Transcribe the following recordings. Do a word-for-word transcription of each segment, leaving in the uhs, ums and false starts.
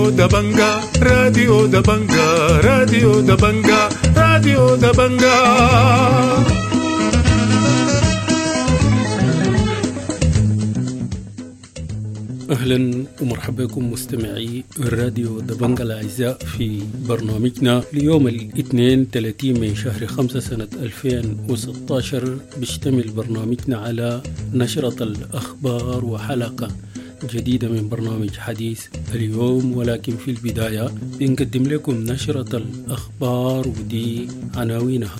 راديو دبنجا، راديو دبنجا، راديو دبنجا، راديو دبنجا. أهلا ومرحبا بكم مستمعي الراديو دبنجا الأعزاء في برنامجنا ليوم الاثنين ثلاثين من شهر خمسة سنة ألفين وستة عشر. بيشتمل برنامجنا على نشرة الأخبار وحلقة جديدة من برنامج حديث اليوم، ولكن في البداية بنقدم لكم نشرة الأخبار ودي عناوينها.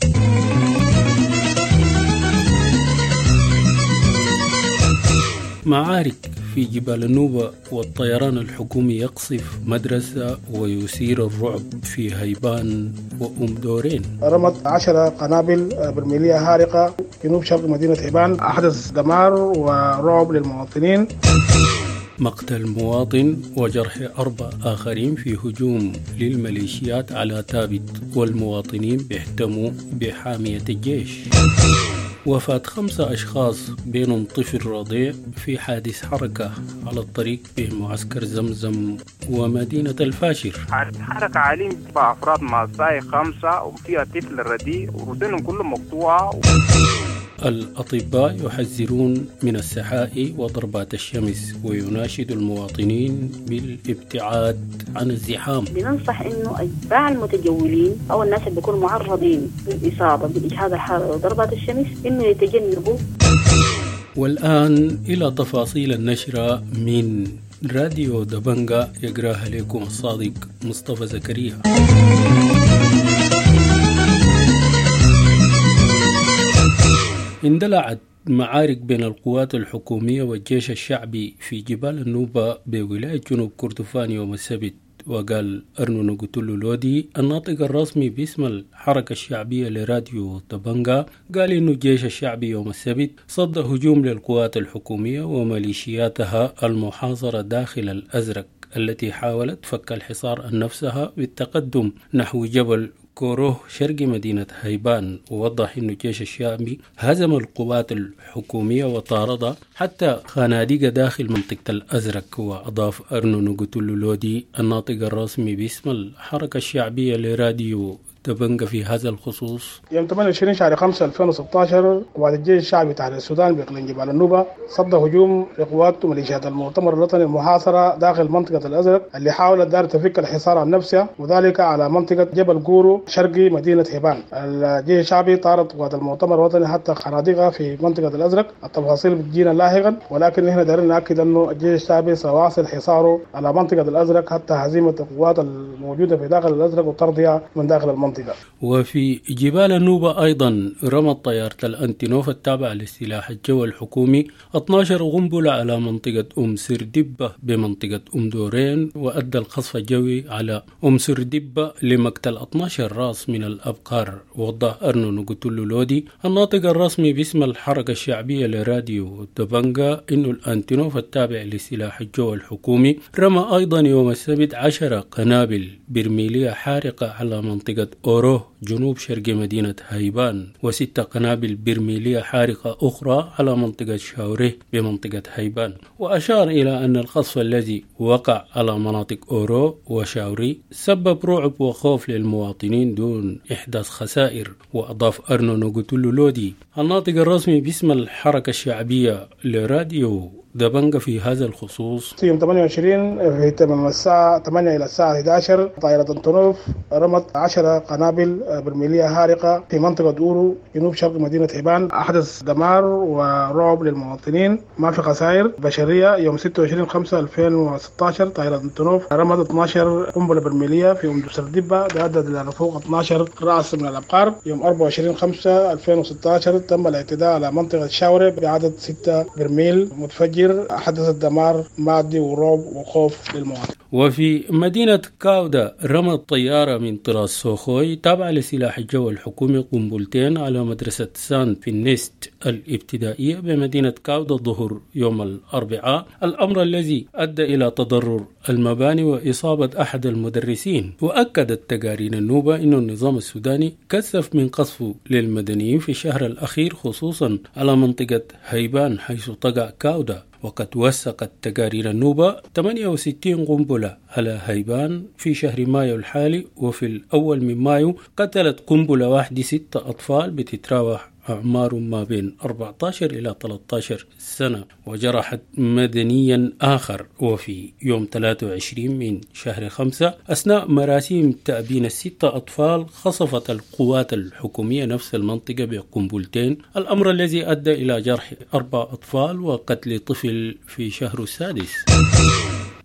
معارك في جبال النوبة والطيران الحكومي يقصف مدرسة ويثير الرعب في هيبان وأم دورين. رمت عشرة قنابل برميلية هارقة جنوب شرق مدينة هيبان، أحدث دمار ورعب للمواطنين. مقتل مواطن وجرح أربع آخرين في هجوم للميليشيات على تابت، والمواطنين بيحتموا بحامية الجيش. وفاة خمسة أشخاص بينهم طفل رضيع في حادث حركة على الطريق بين معسكر زمزم ومدينة الفاشر. حركة عالية بأفراد مع ساي خمسة وفيها طفل رضيع ورودينهم كلهم مقطوعة. الأطباء يحذرون من السحاء وضربات الشمس ويناشد المواطنين بالابتعاد عن الزحام. بننصح إنه أتباع المتجولين أو الناس اللي بيكونوا معرضين للإصابة بالإجهاد الحراري وضربات الشمس إنه يتجنبوا. والآن إلى تفاصيل النشرة من راديو دبنجا يقراها لكم الصادق مصطفى زكريا. اندلعت معارك بين القوات الحكومية والجيش الشعبي في جبال النوبة بولاية جنوب كردفان يوم السبت. وقال أرنو نقتلو لودي الناطق الرسمي باسم الحركة الشعبية لراديو دبنجا، قال إنه الجيش الشعبي يوم السبت صد هجوم للقوات الحكومية وميليشياتها المحاصرة داخل الأزرق التي حاولت فك الحصار عن نفسها بالتقدم نحو جبل كوروه شرق مدينة هيبان. ووضح أن الجيش الشامي هزم القوات الحكومية وطاردها حتى خنادق داخل منطقة الأزرق. وأضاف أرنو نقتلو لودي الناطق الرسمي باسم الحركة الشعبية لراديو دبنجا في هذا الخصوص: يوم ثمانية وعشرين شهر خمسة ألفين وستة عشر قوات الجيش الشعبي تحرير السودان بإقليم جبال النوبة صد هجوم لقوات ميليشيات المؤتمر الوطني المحاصرة داخل منطقة الأزرق اللي حاولت دار تفك الحصار عن نفسها، وذلك على منطقة جبل جورو شرقي مدينة هيبان. الجيش الشعبي طارد قوات المؤتمر الوطني حتى خنادقها في منطقة الأزرق. التفاصيل بتجينا لاحقا، ولكن احنا دارين نأكد أنه الجيش الشعبي سيواصل حصاره على منطقة الأزرق حتى هزيمة القوات الموجودة في داخل الأزرق وطردها من داخل المنطقة. وفي جبال النوبة أيضا رمت طيارة الأنتينوف التابعة للسلاح الجوي الحكومي اثنتا عشرة قنبلة على منطقة أم سردبة بمنطقة أم دورين، وأدى القصف الجوي على أم سردبة لمقتل اثنتا عشر راس من الأبقار. وضح أرنو نقتلو لودي الناطق الرسمي باسم الحركة الشعبية لراديو دبنجا إنه الأنتينوف التابع للسلاح الجوي الحكومي رمى أيضا يوم السبت عشرة قنابل برميلية حارقة على منطقة أوروه جنوب شرق مدينة هيبان، وستة قنابل برميلية حارقة أخرى على منطقة شاوريه بمنطقة هيبان. وأشار إلى أن القصف الذي وقع على مناطق أورو وشاوري سبب رعب وخوف للمواطنين دون إحداث خسائر. وأضاف أرنو نقتلو لودي الناطق الرسمي باسم الحركة الشعبية لراديو دبنجا في هذا الخصوص: يوم ثمانية وعشرين في تمام الساعة ثمانية إلى الساعة إحدى عشر طائرة أنتونوف رمت عشرة قنابل برميلية هارقة في منطقة أورو جنوب شرق مدينة هيبان، أحدث دمار ورعب للمواطنين، ما في خسائر بشرية. يوم ستة وعشرين خمسة ألفين وستة عشر طائرة أنتونوف رمت اثنا عشر قنبلة برميلية في أم سردبة أدت إلى فوق اثنا عشر رأس من الأبقار. يوم أربعة وعشرين خمسة ألفين وستة عشر تم الاعتداء على منطقة شاوري بعدد ستة برميل متفجر، حدث دمار مادي ورعب وخوف للمواطن. وفي مدينة كاودا رمت طيارة من طراز سوخوي تابعة لسلاح الجو الحكومي قنبلتين على مدرسة سان فينيست الابتدائية بمدينة كاودا الظهر يوم الأربعاء، الأمر الذي أدى إلى تضرر المباني وإصابة أحد المدرسين. وأكدت تقارير النوبة أن النظام السوداني كثف من قصفه للمدنيين في الشهر الأخير، خصوصا على منطقة هيبان حيث تقع كاودا. وقد وثقت تقارير النوبة ثمانية وستين قنبلة على هيبان في شهر مايو الحالي، وفي الأول من مايو قتلت قنبلة واحدة ستة أطفال بتتراوح أعمارهم ما بين أربعة عشر إلى ثلاثة عشر سنة، وجرحت مدنيا آخر. وفي يوم ثلاثة وعشرين من شهر خمسة أثناء مراسيم تأبين الستة أطفال خصفت القوات الحكومية نفس المنطقة بقنبلتين، الأمر الذي أدى إلى جرح أربع أطفال وقتل طفل في شهر السادس.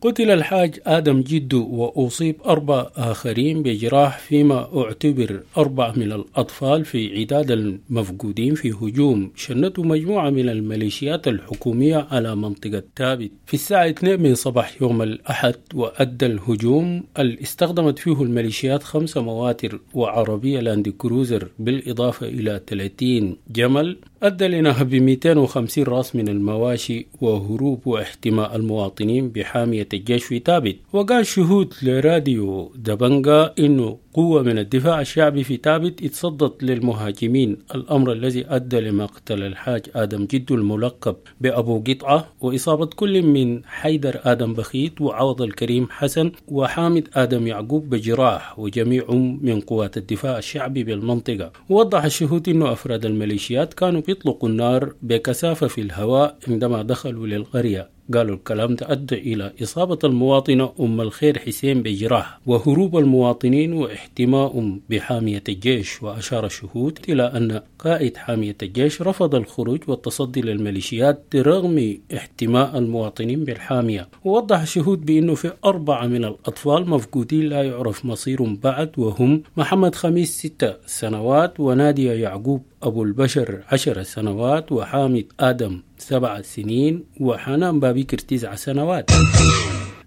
قتل الحاج آدم جدو وأصيب أربع آخرين بجراح، فيما اعتبر أربع من الأطفال في عداد المفقودين في هجوم شنته مجموعة من الميليشيات الحكومية على منطقة تابت في الساعة اثنين من صباح يوم الأحد. وأدى الهجوم اللي استخدمت فيه الميليشيات خمسة مواتر وعربية لاند كروزر بالإضافة إلى ثلاثين جمل، أدى لنهب مئتين وخمسين راس من المواشي وهروب واحتماء المواطنين بحامية الجيش في تابت. وقال شهود لراديو دبنجا إنه قوة من الدفاع الشعبي في تابت اتصدت للمهاجمين، الأمر الذي أدى لمقتل الحاج آدم جدو الملقب بأبو قطعة وإصابة كل من حيدر آدم بخيت وعوض الكريم حسن وحامد آدم يعقوب بجراح، وجميعهم من قوات الدفاع الشعبي بالمنطقة. ووضح الشهود أنه أفراد الميليشيات كانوا بيطلقوا النار بكثافة في الهواء عندما دخلوا للقرية. قالوا الكلام ده أدى إلى إصابة المواطنة أم الخير حسين بجراح وهروب المواطنين واحتمائهم بحامية الجيش. وأشار الشهود إلى أن قائد حامية الجيش رفض الخروج والتصدي للميليشيات رغم احتماء المواطنين بالحامية. ووضح الشهود بأنه في أربعة من الأطفال مفقودين لا يعرف مصيرهم بعد، وهم محمد خميس ستة سنوات، ونادية يعقوب أبو البشر عشر سنوات، وحامد آدم سبع سنين، وحنان بابكر تسع سنوات.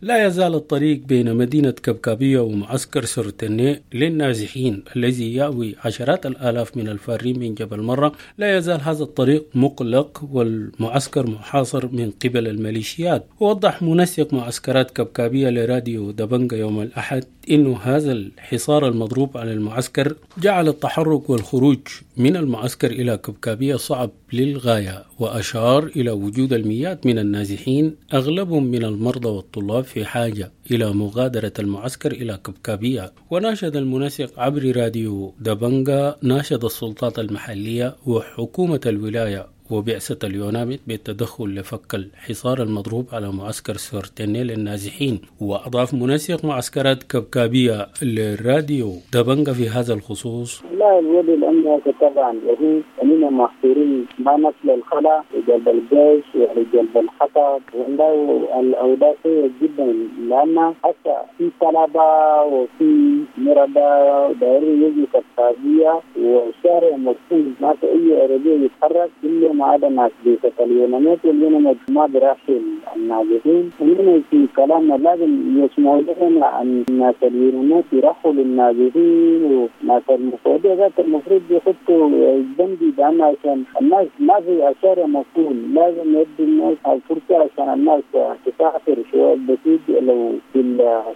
لا يزال الطريق بين مدينة كبكابية ومعسكر سرتني للنازحين الذي يأوي عشرات الآلاف من الفارين من جبل مرة، لا يزال هذا الطريق مغلق والمعسكر محاصر من قبل الميليشيات. ووضح منسق معسكرات كبكابية لراديو دبنجا يوم الأحد إنه هذا الحصار المضروب على المعسكر جعل التحرك والخروج من المعسكر إلى كبكابية صعب للغاية، وأشار إلى وجود المئات من النازحين أغلبهم من المرضى والطلاب في حاجة إلى مغادرة المعسكر إلى كبكابية. وناشد المنسق عبر راديو دبنجا ناشد السلطات المحلية وحكومة الولاية وبعثة اليوناميد بالتدخل لفك الحصار المضروب على معسكر سورتيني للنازحين. وأضاف منسق معسكرات كبكابية للراديو دبنجا في هذا الخصوص: لا الوضع الأمني طبعا وهو أننا محصورين ما نصل الخلا جلب الجيش وجلب الحطب، والله الأوضاع سيئة جدا، لأن حتى في طلبة وفي مرضى دائري يجي كبكابية والشارع مقفول، ما في أي عربية يتحرك إلا ما عدا ناس بيت اليونانيات، واليونانيات ما برحل النازحين. ومن في كلامنا لازم يسمعوا لنا عن الناس اليونانيات يرحلوا للنازحين، وناس المفروض ذات المفروض يحطوا البندي بأن عشان الناس ما في الشارع مقفول، لازم يدي الناس الفرصة عشان الناس تسافر شوية بسيط، لو في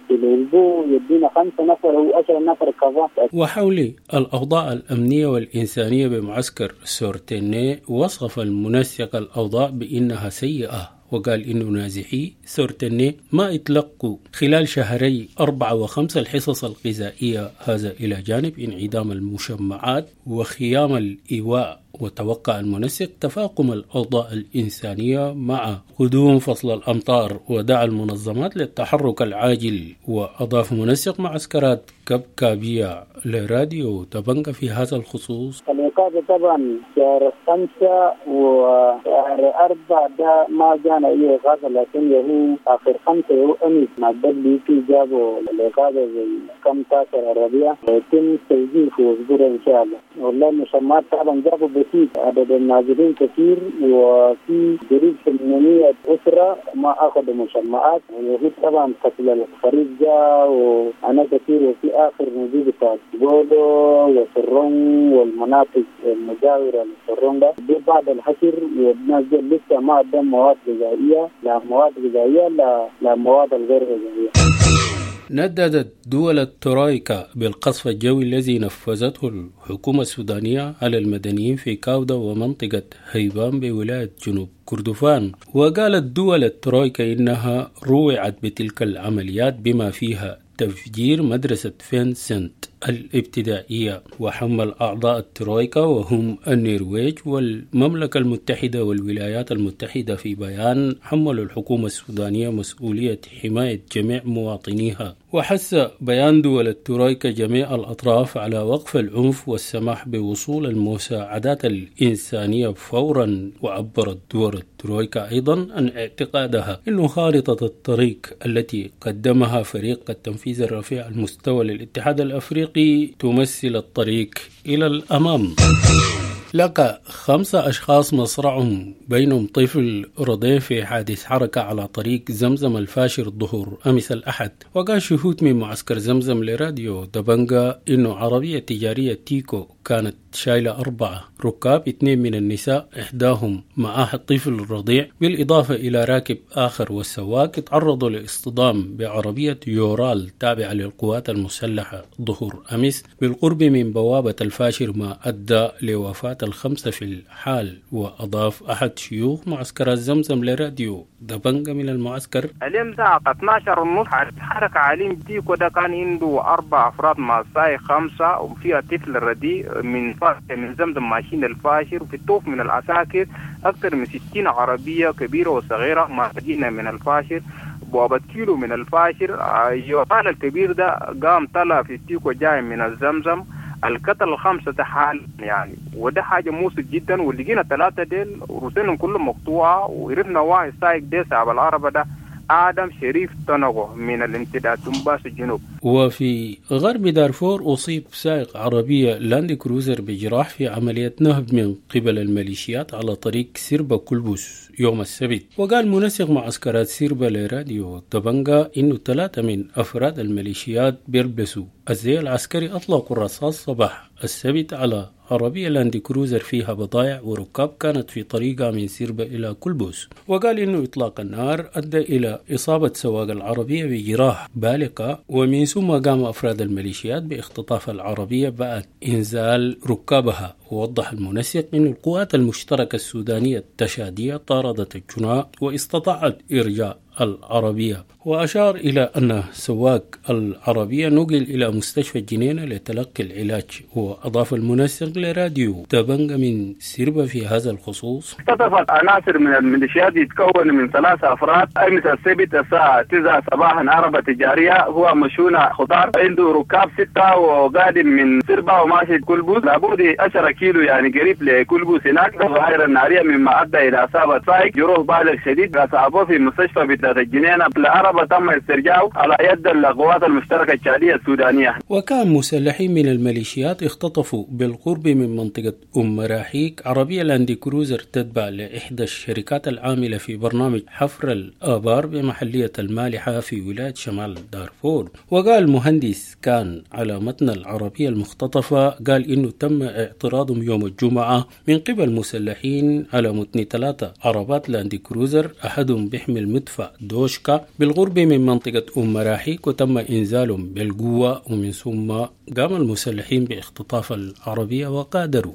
في الأسبوع يدينا خمسة نفر أو عشرة نفر كذا. وحول الأوضاع الأمنية والإنسانية بمعسكر سورتيني وصف المنسق الأوضاع بأنها سيئة، وقال إنه نازحي سورتيني ما اتلقوا خلال شهري أربعة وخمسة الحصص الغذائية، هذا إلى جانب انعدام المشمعات وخيام الإيواء. وتوقع المنسق تفاقم الأوضاع الإنسانية مع قدوم فصل الأمطار، ودعا المنظمات للتحرك العاجل. وأضاف منسق معسكرات كبكابية لراديو دبنجا في هذا الخصوص: الإقامة طبعا شهر خمسة وشهر أربعة ده ما جانا أي إغاثة، لكن يهو آخر خمسة يهو أمس مع الدبليو بي جابوا الإغاثة زي كم تاسع عربية ويتم توزيع في أسبوع إن شاء الله. والله المشمعات طبعا جابوا بسيط، عدد النازلين كثير، وفي قريب ثمانمائة أسرة ما أخذوا مشمعات. وهو طبعا فصل الخريف جاء وأنا كثير، وفي آخر نزيل بتاع جولو وسرون والمناطق المجاورة للسرون ده دي بعد الحشر، والناس دي لسه ما عندهم مواد غذائية، لا مواد غذائية لا لا مواد الغير غذائية. نددت دول الترويكا بالقصف الجوي الذي نفذته الحكومة السودانية على المدنيين في كاودا ومنطقة هيبان بولاية جنوب كردفان. وقالت دول الترويكا إنها روعت بتلك العمليات بما فيها تفجير مدرسة فينسنت الابتدائية. وحمل أعضاء الترويكا وهم النرويج والمملكة المتحدة والولايات المتحدة في بيان حملوا الحكومة السودانية مسؤولية حماية جميع مواطنيها. وحث بيان دول الترويكا جميع الأطراف على وقف العنف والسماح بوصول المساعدات الإنسانية فورا. وعبرت دول الترويكا أيضا عن اعتقادها أن خارطة الطريق التي قدمها فريق التنفيذ الرفيع المستوى للاتحاد الأفريقي تمثل الطريق إلى الأمام. لقى خمسة أشخاص مصرعهم بينهم طفل رضيع في حادث حركة على طريق زمزم الفاشر الظهر أمس الأحد. وقال شهود من معسكر زمزم لراديو دبنجا إنه عربية تجارية تيكو كانت شايلة أربعة ركاب، اثنين من النساء إحداهم معها الطفل الرضيع، بالإضافة إلى راكب آخر والسواق، تعرضوا لاصطدام بعربية يورال تابعة للقوات المسلحة ظهر أمس بالقرب من بوابة الفاشر، ما أدى لوفاة الخمسة في الحال. وأضاف أحد شيوخ معسكر زمزم لراديو دبنجا من المعسكر: اليوم الساعة اثنا عشر ونص حركة عليم تيكو ده كان عنده أربع أفراد مع السايق خمسة، وفيها طفل رديء من من زمزم ماشيين الفاشر، وفي الطوف من العساكر أكثر من ستين عربية كبيرة وصغيرة ماشيين من الفاشر، بوابة كيلو من الفاشر. يوحنا الكبير ده قام طلع في التيكو جاي من الزمزم، القتل الخمسة حال يعني، وده حاجة مؤسف جدا. ولقينا ثلاثة ديل رسلهم كلهم مقطوعة، وعرفنا واحد سايق ده صاحب العربة ده آدم شريف تنغو من الامتداد دنباس الجنوب. وفي غرب دارفور أصيب سائق عربية لاند كروزر بجراح في عملية نهب من قبل الميليشيات على طريق سيربا كلبوس يوم السبت. وقال منسق معسكرات سيربا لراديو دبنجا إنه ثلاثة من أفراد الميليشيات بيلبسوا الزي العسكري أطلقوا الرصاص صباح السبت على عربية لاند كروزر فيها بضائع وركاب كانت في طريقها من سيربا إلى كلبوس. وقال إنه إطلاق النار أدى إلى إصابة سواق العربية بجراح بالغة، ومن ثم قام أفراد الميليشيات باختطاف العربية بعد إنزال ركابها. ووضح المنسق أن القوات المشتركة السودانية التشادية طاردت الجناة واستطاعت إرجاء العربية. وأشار إلى أن سواق العربية نقل إلى مستشفى الجنينة لتلقي العلاج. وأضاف المنسق لراديو دبنجا من سيربا في هذا الخصوص: اختطفت عناصر من الميليشيات يتكون من ثلاثة أفراد أمس السبت الساعة تسعة صباحا عربة تجارية هو مشحونة خضار، عنده ركاب ستة وقادم من سيربا وماشي كلبوس لابد عشرة كيلو يعني قريب لكلبوس هناك. الظاهرة النارية مما أدى إلى إصابة سائق جروح بالغ شديد أصابوه في مستشفى بتاعت الجنينة. العربة تم استرجاعه على يد القوات المشتركة التشادية السودانية. وكان مسلحين من الميليشيات اختطفوا بالقرب من منطقة أم مراحيك عربية لاندي كروزر تتبع لإحدى الشركات العاملة في برنامج حفر الآبار بمحلية المالحة في ولاية شمال دارفور. وقال مهندس كان على متن العربية المختطفة قال إنه تم اعتراضهم يوم الجمعة من قبل مسلحين على متن ثلاثة عربات لاندي كروزر أحدهم بيحمل مدفع دوشكا بالقرب من منطقة أم مراحيك، وتم إنزالهم بالقوة، ومن ثم قام المسلحين باختطاف العربية وغادروا.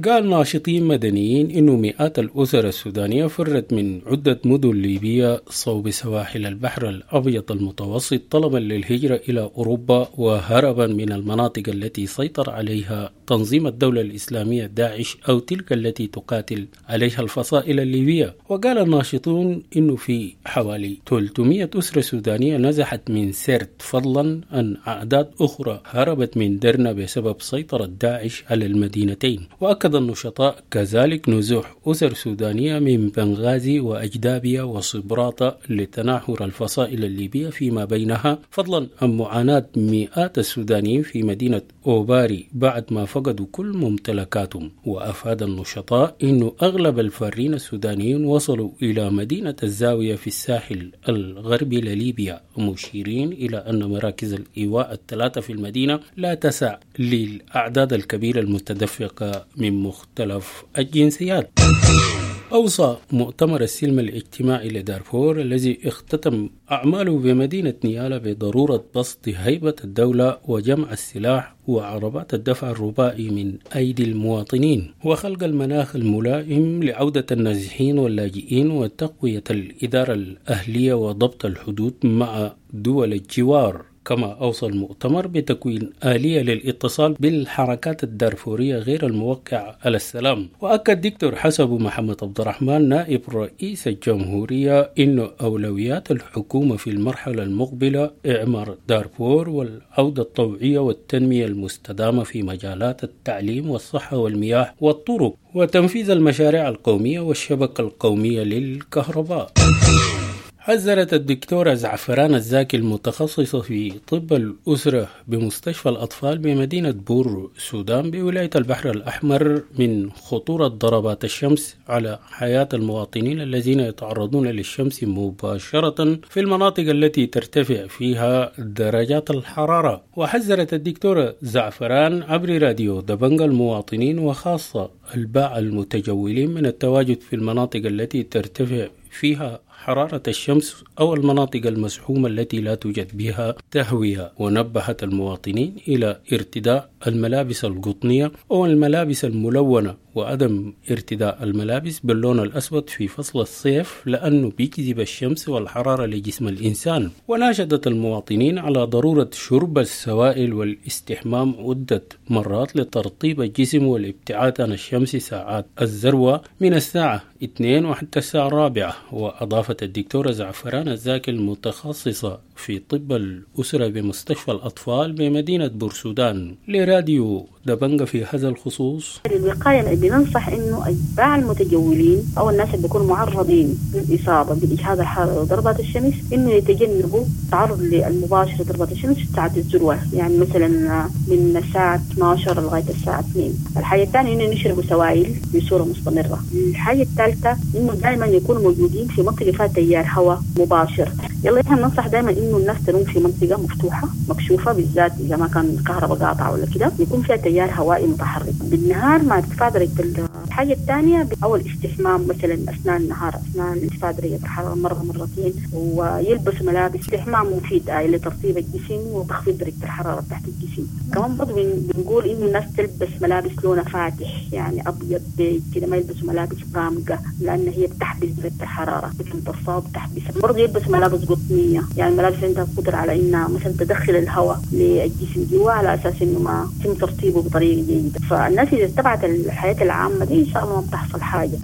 قال ناشطين مدنيين إنه مئات الأسر السودانية فرت من عدة مدن ليبية صوب سواحل البحر الأبيض المتوسط طلبا للهجرة إلى أوروبا وهربا من المناطق التي سيطر عليها تنظيم الدولة الإسلامية داعش أو تلك التي تقاتل عليها الفصائل الليبية. وقال الناشطون إنه في حوالي ثلاثمئة أسرة سودانية نزحت من سرت، فضلا عن أعداد أخرى هربت من درنا بسبب سيطرة داعش على المدينتين. وأكد النشطاء كذلك نزوح أسر سودانية من بنغازي وأجدابيا وصبراطة لتناحر الفصائل الليبية فيما بينها، فضلا عن معاناة مئات السودانيين في مدينة أوباري بعد ما فقدوا كل ممتلكاتهم. وأفاد النشطاء أن أغلب الفارين السودانيين وصلوا إلى مدينة الزاوية في الساحل الغربي لليبيا، مشيرين إلى أن مراكز الإيواء الثلاثة في المدينة لا تسع للأعداد الكبيرة المتدفقة من مختلف الجنسيات. أوصى مؤتمر السلم الاجتماعي لدارفور الذي اختتم أعماله بمدينة نيالا بضرورة بسط هيبة الدولة وجمع السلاح وعربات الدفع الرباعي من أيدي المواطنين وخلق المناخ الملائم لعودة النازحين واللاجئين وتقوية الإدارة الأهلية وضبط الحدود مع دول الجوار. كما أوصى المؤتمر بتكوين آلية للاتصال بالحركات الدارفورية غير الموقعة على السلام. وأكد دكتور حسب محمد عبد الرحمن نائب رئيس الجمهورية أن أولويات الحكومة في المرحلة المقبلة إعمار دارفور والعودة الطوعية والتنمية المستدامة في مجالات التعليم والصحة والمياه والطرق وتنفيذ المشاريع القومية والشبكة القومية للكهرباء. حذرت الدكتورة زعفران الزاكي المتخصصة في طب الأسرة بمستشفى الأطفال بمدينة بور السودان بولاية البحر الأحمر من خطورة ضربات الشمس على حياة المواطنين الذين يتعرضون للشمس مباشرة في المناطق التي ترتفع فيها درجات الحرارة. وحذرت الدكتورة زعفران عبر راديو دبنجا المواطنين وخاصة الباعة المتجولين من التواجد في المناطق التي ترتفع فيها حرارة الشمس أو المناطق المزحومة التي لا توجد بها تهوية، ونبهت المواطنين إلى ارتداء الملابس القطنية أو الملابس الملونة وعدم ارتداء الملابس باللون الأسود في فصل الصيف لأنه بيجذب الشمس والحرارة لجسم الإنسان. وناشدت المواطنين على ضرورة شرب السوائل والاستحمام عدة مرات لترطيب الجسم والابتعاد عن الشمس ساعات الذروة من الساعة اثنين وحتى الساعة الرابعة. وأضافت الدكتورة زعفران الزاكي المتخصصة في طب الأسرة بمستشفى الأطفال بمدينة بورسودان لراديو دبنجا في هذا الخصوص: الوقاية بننصح إنه أتباع المتجولين أو الناس اللي بيكونوا معرضين للإصابة بالإجهاد الحراري وضربات الشمس إنه يتجنبوا التعرض المباشر لضربات الشمس في ساعة الذروة، يعني مثلا من الساعة اثنا عشر لغاية الساعة اثنين. الحاجة الثانية إنه يشربوا سوائل بصورة مستمرة. الحاجة الثالثة إنه دائما يكونوا موجودين في منطقة فيها تيار هواء مباشر. يلا احنا بننصح دائما إنه الناس تنوم في منطقة مفتوحة مكشوفة، بالذات إذا ما كان الكهرباء قاطعة ولا كده، يكون فيها تيار هوائي متحرك بالنهار مع ارتفاع درجة. الحاجة الثانية أو الاستحمام مثلا أثناء النهار، أثناء ارتفاع درجة الحرارة مرة مرتين، ويلبس ملابس. استحمام مفيد آه لترطيب الجسم وتخفيض درجة الحرارة تحت الجسم. كمان برضه بنقول إنه الناس تلبس ملابس لونها فاتح، يعني أبيض بيج كده، ما يلبسوا ملابس غامقة لأن هي بتحبس درجة الحرارة، بتمتصها وبتحبسها. برضه يلبس ملابس قطنية، يعني ملابس عندها قدرة على إنها مثلا تدخل الهواء للجسم جوا على أساس إنه ما يتم ترطيبه بطريقة جيدة. فالناس إذا اتبعت الحياة العامة دي إن شاء الله ما بتحصل حاجة.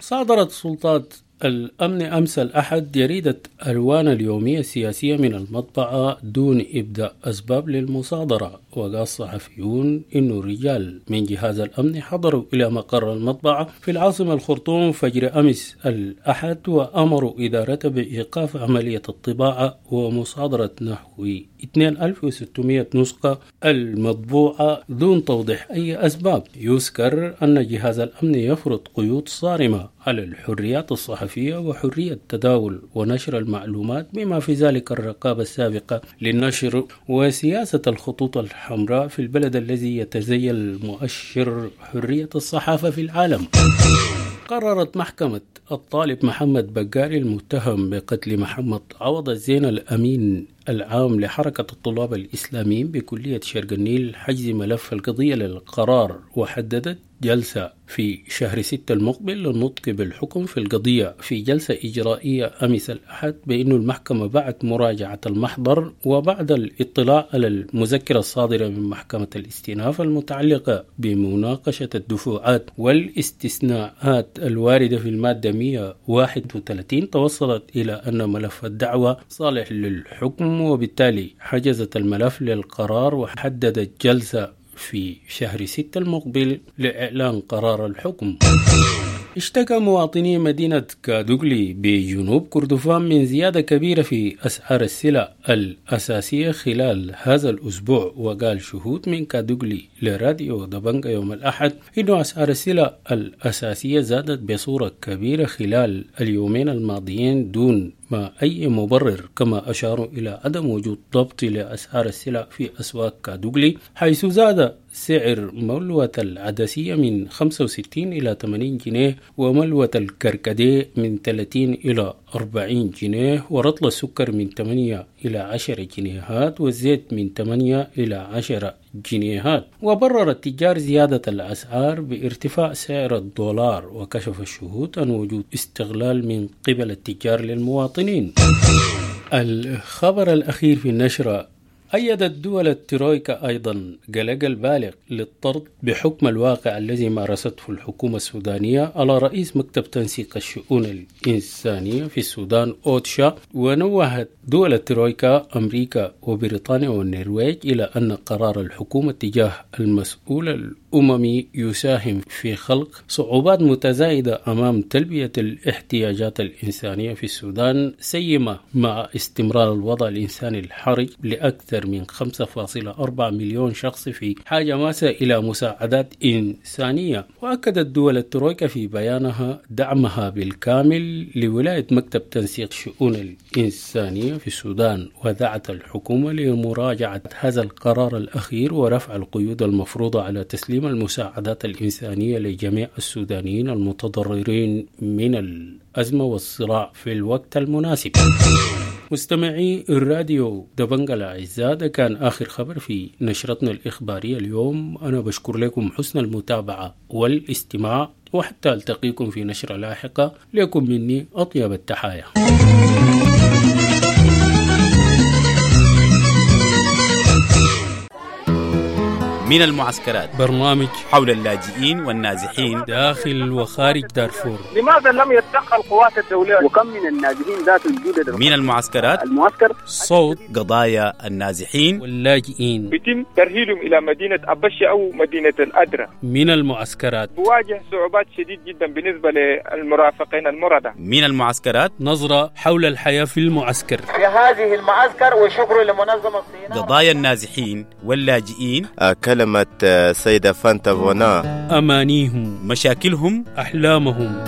صادرت سلطات الأمن أمس الأحد جريدة ألوان اليومية السياسية من المطبعة دون إبداء أسباب للمصادرة. وقال الصحفيون إن رجال من جهاز الأمن حضروا إلى مقر المطبعة في العاصمة الخرطوم فجر أمس الأحد وأمروا إدارته بإيقاف عملية الطباعة ومصادرة نحو ألفين وستمائة نسخة المطبوعة دون توضيح أي أسباب. يذكر أن جهاز الأمن يفرض قيود صارمة على الحريات الصحفية وحرية التداول ونشر المعلومات، بما في ذلك الرقابة السابقة للنشر وسياسة الخطوط الحمراء في البلد الذي يتزيل مؤشر حرية الصحافة في العالم. قررت محكمة الطالب محمد بقاري المتهم بقتل محمد عوض الزين الأمين العام لحركة الطلاب الإسلاميين بكلية شرق النيل حجز ملف القضية للقرار، وحددت جلسة في شهر ستة المقبل للنطق بالحكم في القضية. في جلسة إجرائية أمس الأحد بأن المحكمة بعد مراجعة المحضر وبعد الاطلاع على المذكرة الصادرة من محكمة الاستئناف المتعلقة بمناقشة الدفوعات والاستثناءات الواردة في المادة مئة وواحد وثلاثين توصلت إلى أن ملف الدعوة صالح للحكم، وبالتالي حجزت الملف للقرار وحددت جلسة في شهر ستة المقبل لإعلان قرار الحكم. اشتكى مواطني مدينة كادوغلي بجنوب كردفان من زيادة كبيرة في أسعار السلع الأساسية خلال هذا الأسبوع. وقال شهود من كادوغلي لراديو دبنجا يوم الأحد إن أسعار السلع الأساسية زادت بصورة كبيرة خلال اليومين الماضيين دون ما أي مبرر، كما أشاروا إلى عدم وجود ضبط لأسعار السلع في أسواق كادوغلي، حيث زاد سعر ملوة العدسية من خمسة وستين إلى ثمانين جنيه، وملوة الكركديه من ثلاثين إلى أربعين جنيه، ورطل السكر من ثمانية إلى عشرة جنيهات، والزيت من ثمانية إلى عشرة جنيهات. وبرر التجار زيادة الأسعار بارتفاع سعر الدولار، وكشف الشهود عن وجود استغلال من قبل التجار للمواطنين. الخبر الأخير في النشرة: أيدت دول الترويكا أيضا قلق البالغ للطرد بحكم الواقع الذي مارسته الحكومة السودانية على رئيس مكتب تنسيق الشؤون الإنسانية في السودان أوتشا. ونوهت دول الترويكا أمريكا وبريطانيا والنرويج إلى أن قرار الحكومة تجاه المسؤول الأممي يساهم في خلق صعوبات متزايدة أمام تلبية الاحتياجات الإنسانية في السودان، سيما مع استمرار الوضع الإنساني الحرج لأكثر من خمسة فاصلة أربعة مليون شخص في حاجة ماسة إلى مساعدات إنسانية. وأكدت دول الترويكا في بيانها دعمها بالكامل لولاية مكتب تنسيق شؤون الإنسانية في السودان، ودعت الحكومة لمراجعة هذا القرار الأخير ورفع القيود المفروضة على تسليم المساعدات الإنسانية لجميع السودانيين المتضررين من الأزمة والصراع في الوقت المناسب. مستمعي الراديو دبنجا الأعزاء، ده كان آخر خبر في نشرتنا الإخبارية اليوم. أنا بشكر لكم حسن المتابعة والاستماع، وحتى ألتقيكم في نشرة لاحقة. لكم مني أطيب التحايا. من المعسكرات، برنامج حول اللاجئين والنازحين داخل وخارج دارفور. لماذا لم يتدخل القوات الدولية؟ وكم من النازحين ذات الجدد من المعسكرات؟ المعسكر صوت قضايا النازحين واللاجئين يتم ترحيلهم إلى مدينة أبشة أو مدينة الأدرة. من المعسكرات بواجه صعوبات شديد جدا بالنسبة للمرافقين المرضى. من المعسكرات نظرة حول الحياة في المعسكر في هذه المعسكر، وشكر لمنظمة الصين. قضايا النازحين واللاجئين، كلمة سيدة فانتا فونا، أمانيهم، مشاكلهم، أحلامهم.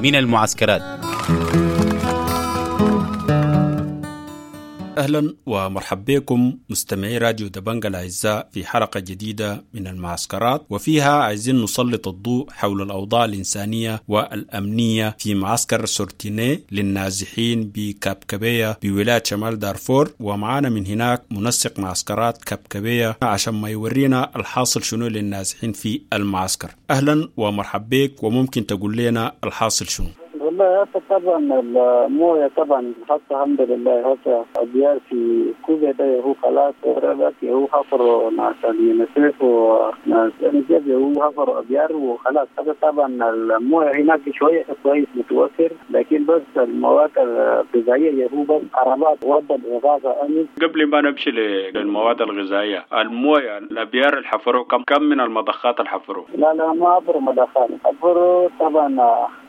من المعسكرات. أهلا ومرحبا بكم مستمعي راديو دبنجا الأعزاء في حلقة جديدة من المعسكرات، وفيها عايزين نسلط الضوء حول الأوضاع الإنسانية والأمنية في معسكر سورتيني للنازحين بكابكبية بولاية شمال دارفور. ومعانا من هناك منسق معسكرات كابكبية عشان ما يورينا الحاصل شنو للنازحين في المعسكر. أهلا ومرحبا بك، وممكن تقول لنا الحاصل شنو؟ والله هسه طبعا المويه طبعا هسه الحمد لله هسه ابيار في كوبا ده هو خلاص وربك هو حفر ناس اليونيسف وناس الجب هو حفر ابيار وخلاص. هذا طبعا المويه هناك شويه كويس متوفر، لكن بس المواد الغذائيه هو بس عربات ودى الاغاثه امس. قبل ما نمشي للمواد الغذائيه، المويه الابيار اللي حفروا كم كم من المضخات اللي حفروا؟ لا لا ما حفروا مضخات، حفروا طبعا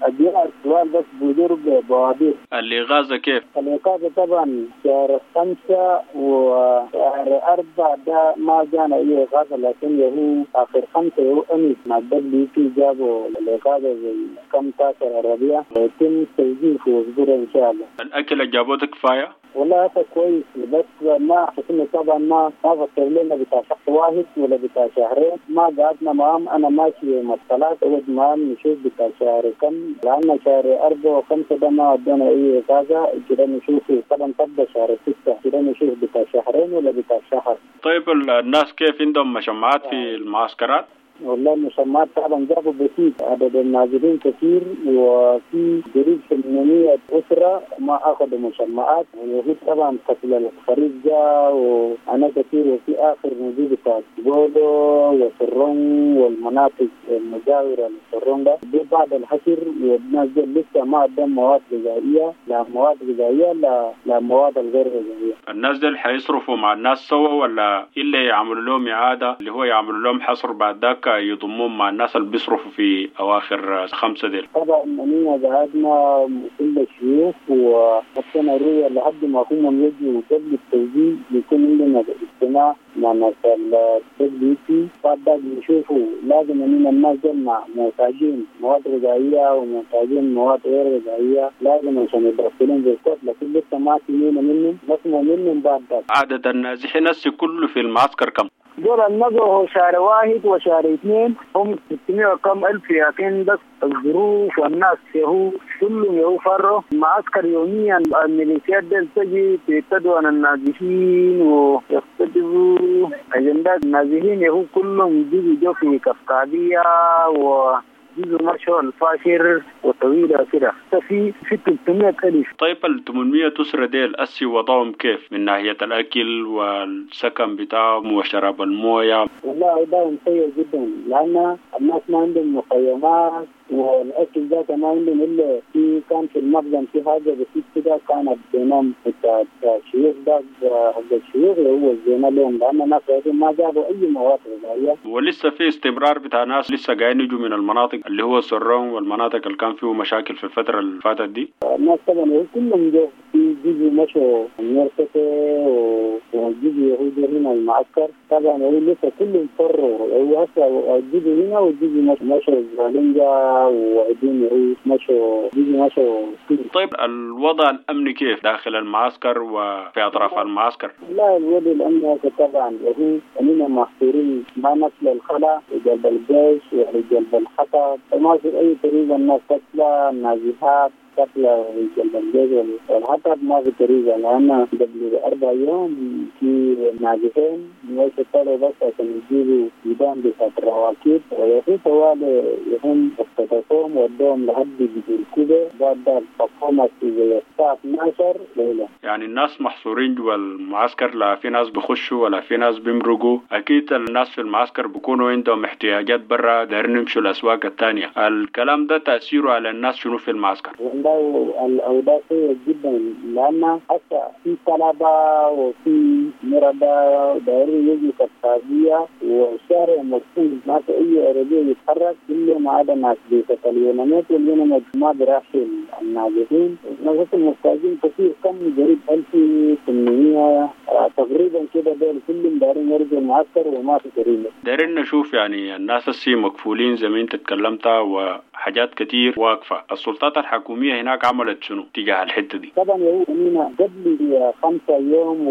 ابيار سؤال بس بدور بوابير. الإغاثة كيف؟ الإغاثة طبعا شهر خمسة وشهر أربعة ده ما جانا أي إغاثة، لكن هو آخر خمسة هو أمس مع دبليو بي جابوا الإغاثة زي كم تاكر عربية ويتم توزيع في أسبوع إن شاء الله. الأكل اللي جابوه كفاية؟ والله هذا كويس، بس ما حسنا طبعا ما ما فكر لنا بتاع شهر واحد ولا بتاع شهرين، ما قعدنا معهم. انا ماشي يوم الثلاث اقعد معهم نشوف بتاع شهر كم، لان شهر أربعة وخمسة ده ما ادونا اي اجازة كده، نشوف طبعا تبدا شهر ستة كده نشوف بتاع شهرين ولا بتاع شهر. طيب الناس كيف عندهم مشمعات في المعسكرات؟ والله المشمعات طبعا جابوا بسيط، عدد النازلين كثير وفي قريب ثمانمية أسرة ما أخذوا مشمعات، وفي طبعا فصل الخريف جاء وأنا كثير، وفي آخر نزيل بتاع بولو وسرون والمناطق المجاورة للسرون ده دي بعد الحشر، والناس دي لسه ما عندهم مواد غذائية، لا مواد غذائية لا لا مواد الغير غذائية. الناس دي حيصرفوا مع الناس سوا ولا إلا يعملوا لهم إعادة اللي هو يعملوا لهم حصر بعد ذاك يضمون مع الناس اللي بيصرفوا في أواخر خمسة ديل؟ طبعا أننا قعدنا كل الشيوخ وحطينا الرؤية لحد ما هم يجوا قبل التوزيع يكون عندنا اجتماع مع ناس الدبليو بي، بعد ذاك يشوفوا لازم أننا الناس دول محتاجين مواد غذائية ومحتاجين مواد غير غذائية، لازم عشان يدخلون بالكود، لكن لسه ما سمعنا منهم، نسمع منهم بعد ذاك. عدد النازحين هسه كله في المعسكر كم؟ دول النزلوا شهر واحد وشهر اثنين هم ستمية وكم ألف، لكن بس الظروف والناس يهو كلهم يهو فروا معسكر يوميا. الميليشيات دي تجي تبتدوا عن النازحين ويختطفوا أجندات النازحين يهو كلهم جزء جو في كفكابية و جزء مشوا الفاشر وطويلة كده في في ثلاثمية ألف. طيب ال ثمانمية أسرة ديل أسي وضعهم كيف من ناحية الأكل والسكن بتاعهم وشراب الموية؟ والله وضعهم سيء جدا، لأن الناس ما عندهم مخيمات والأكل ذاته ما عندهم، إلا في كان في المخزن في حاجة بسيط كده كانت بينهم بتاع الشيوخ ده حق الشيوخ هو الزينة لهم، لأن الناس ما جابوا أي مواد غذائية. ولسه في استمرار بتاع ناس لسه قاعدين يجوا من المناطق اللي هو سرهم والمناطق اللي كان فيه مشاكل في الفترة اللي فاتت دي؟ الناس طبعا كلهم جو، في جزء مشوا نيرسكي وجزء يهودي هنا المعسكر، طبعا هو لسه كلهم فروا، هو هسه الجزء هنا والجزء مشوا زالينجا وعدين مشوا جزء مشوا. طيب الوضع الأمني كيف داخل المعسكر وفي أطراف المعسكر؟ لا الوضع الأمني طبعا وهو أننا محصورين ما نصل الخلا لجلب الجيش ولجلب الحطب، ما في أي طريقة الناس تطلع النازحات تطلع لجلب الجيش والحطب ما في طريقة، لأن قبل أربع يوم في نازحين طلعوا بس عشان يجيبوا جدان بتاعت الرواكيب ويفي طوال يهم اختطفوهم ودوهم لحد الكوبة بعد فقومة في الساعة اثناشر ليلة. يعني الناس محصورين جوا المعسكر، لا في ناس بخشوا ولا في ناس بيمرقوا. أكيد الناس في المعسكر بيكونوا عندهم احتياجات برا، دايرين يمشوا الأسواق الثانية. الكلام ده تأثيره على الناس شنو في المعسكر؟ والله الأوضاع سيئة جدا، لأن حتى في طلبة وفي مرضى دايرين يجوا كفاية والشارع مقفول، ما في أي عربية يتحرك إلا ما عدا ناس بيت اليونانيات، واليونانيات ما بيرحل النازحين. الناس المحتاجين كثير، كم قريب ألف وثمانمية تقريبا كده، دول كلهم دايرين يرجعوا المعسكر وما في طريقة. دايرين نشوف يعني الناس السي مقفولين زي ما أنت تكلمت وحاجات كتير واقفة، السلطات الحكومية هناك عملت شنو تجاه الحتة دي؟ طبعا هو قبل خمسة يوم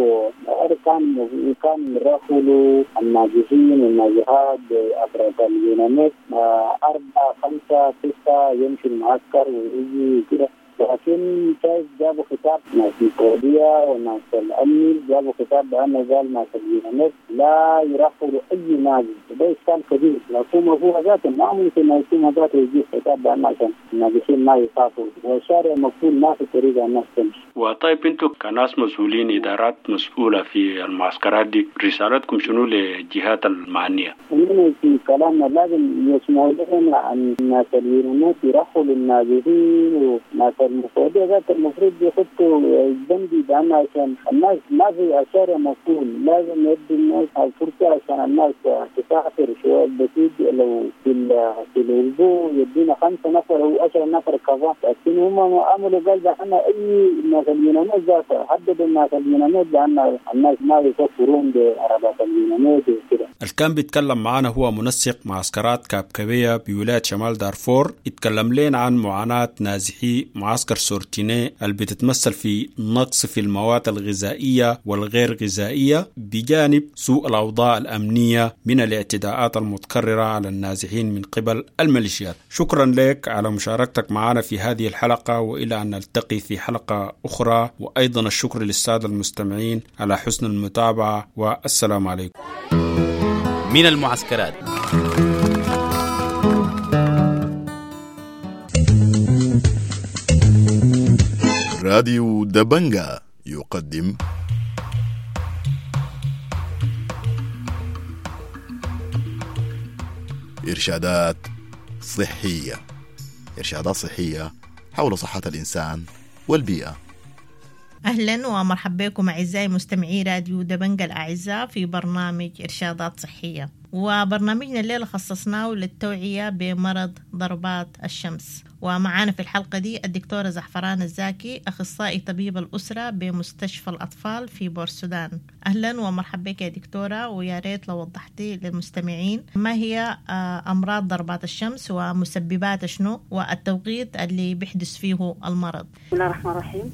وكان كان رحلوا النازحين والنازحات عبر اليونانيات أربعة خمسة ستة يمشي المعسكر ويجي كده، لكن شايف جابوا خطاب ناس السعودية وناس الأمن، جابوا خطاب بأنه قال ناس اليونانيات لا يرحلوا أي نازح، وده إشكال كبير. الحكومة هو ذاته ما ممكن الحكومة ذاته يجيب خطاب بأنه عشان النازحين ما يخافوا، والشارع مقفول ما في طريقة الناس تمشي. وطيب انتم كناس مسؤولين، إدارات مسؤولة في المعسكرات دي، رسالتكم شنو للجهات المعنية؟ إننا في كلامنا لازم يسمعوا لنا عن الناس اليونانيات يرحلوا النازحين وناس المفروض ذات المفروض يحطوا البندي بأن عشان الناس ما في الشارع مقفول، لازم يدوا الناس الفرصة عشان الناس تسافر شوية بسيط، لو في في الأسبوع يدينا خمسة نفر أو عشرة نفر كذا، لكن هم عملوا قال بأن أي الناس اليونانيات ذاتها حددوا الناس اليونانيات بأن الناس ما يسافرون بعربات اليونانيات وكده. اللي كان بيتكلم معانا هو منسق معسكرات كابكبية بولاية شمال دارفور، اتكلم لنا عن معاناة نازحي معسكر سورتيني اللي بتتمثل في نقص في المواد الغذائية والغير غذائية، بجانب سوء الأوضاع الأمنية من الاعتداءات المتكررة على النازحين من قبل الميليشيات. شكرا لك على مشاركتك معنا في هذه الحلقة، وإلى أن نلتقي في حلقة أخرى، وأيضا الشكر للسادة المستمعين على حسن المتابعة، والسلام عليكم. من المعسكرات. راديو دبنجا يقدم إرشادات صحية، إرشادات صحية حول صحة الإنسان والبيئة. أهلا ومرحبا بكم أعزائي مستمعي راديو دبنجا الأعزاء في برنامج إرشادات صحية. وبرنامجنا الليلة خصصناه للتوعية بمرض ضربات الشمس. ومعانا في الحلقة دي الدكتورة زعفران الزاكي، أخصائي طبيب الأسرة بمستشفى الأطفال في بورسودان. أهلا ومرحبا بك يا دكتورة، ويا ريت لو وضحتي للمستمعين ما هي أمراض ضربات الشمس ومسبباتها شنو والتوقيت اللي بيحدث فيه المرض. بسم الله الرحمن الرحيم.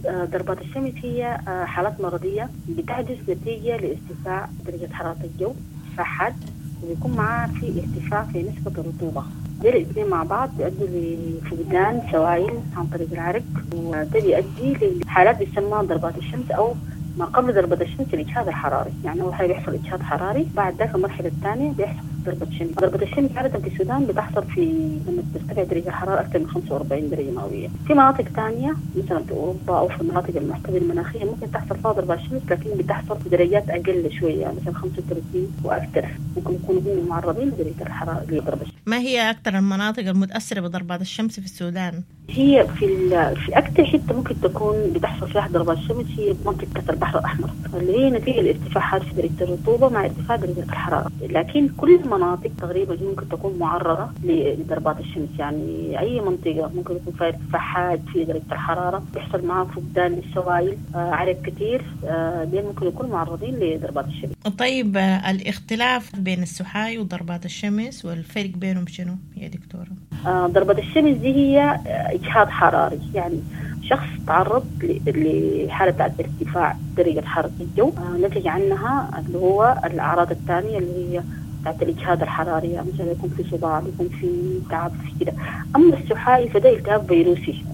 ضربات الشمس هي حالات مرضية بتحدث نتيجة لارتفاع درجة حرارة الجو ارتفاع حاد، وبيكون معها في ارتفاع في نسبة الرطوبة. دول الاثنين مع بعض بيؤدوا لفقدان سوائل عن طريق العرق، وده بيؤدي لحالات بيسموها ضربات الشمس أو ما قبل ضربة الشمس الإجهاد الحراري. يعني أول حاجة بيحصل إجهاد حراري، بعد ذاك المرحلة الثانية بيحصل ضربة شمس. ضربة الشمس عادة في السودان بتحصل في لما ترتفع درجة الحرارة أكثر من خمسة وأربعين درجة مئوية. في مناطق ثانية مثلا في أوروبا أو في المناطق المعتدلة المناخية ممكن تحصل فيها ضربة الشمس، لكن بتحصل في درجات أقل شوية، يعني مثلا خمسة وثلاثين وأكثر، ممكن يكونوا هم معرضين لدرجة الحرارة لضربة الشمس. ما هي أكثر المناطق المتأثرة بضربات الشمس في السودان؟ هي في في أكثر حتة ممكن تكون بتحصل فيها ضربات الشمس هي منطقة البحر الأحمر، اللي هي نتيجة لارتفاعات في درجة الرطوبة مع ارتفاع درجة الحرارة. لكن كل المناطق تقريبا ممكن تكون معرضة لضربات الشمس، يعني أي منطقة ممكن يكون فيها ارتفاع حاد في درجة الحرارة بيحصل معها فقدان للسوائل، عرق كثير، دي ممكن يكونوا معرضين لضربات الشمس. طيب الاختلاف بين السحاي وضربات الشمس والفرق بينهم شنو يا دكتورة؟ ضربة الشمس دي هي إجهاد حراري، يعني شخص تعرض لحالة بتاعت ارتفاع درجة حرارة الجو نتج عنها اللي هو الأعراض الثانية اللي هي بتاعت الإجهاد الحراري، يعني مثلا يكون في صداع، يكون في تعب، في كده. أما السحائي فده التهاب فيروسي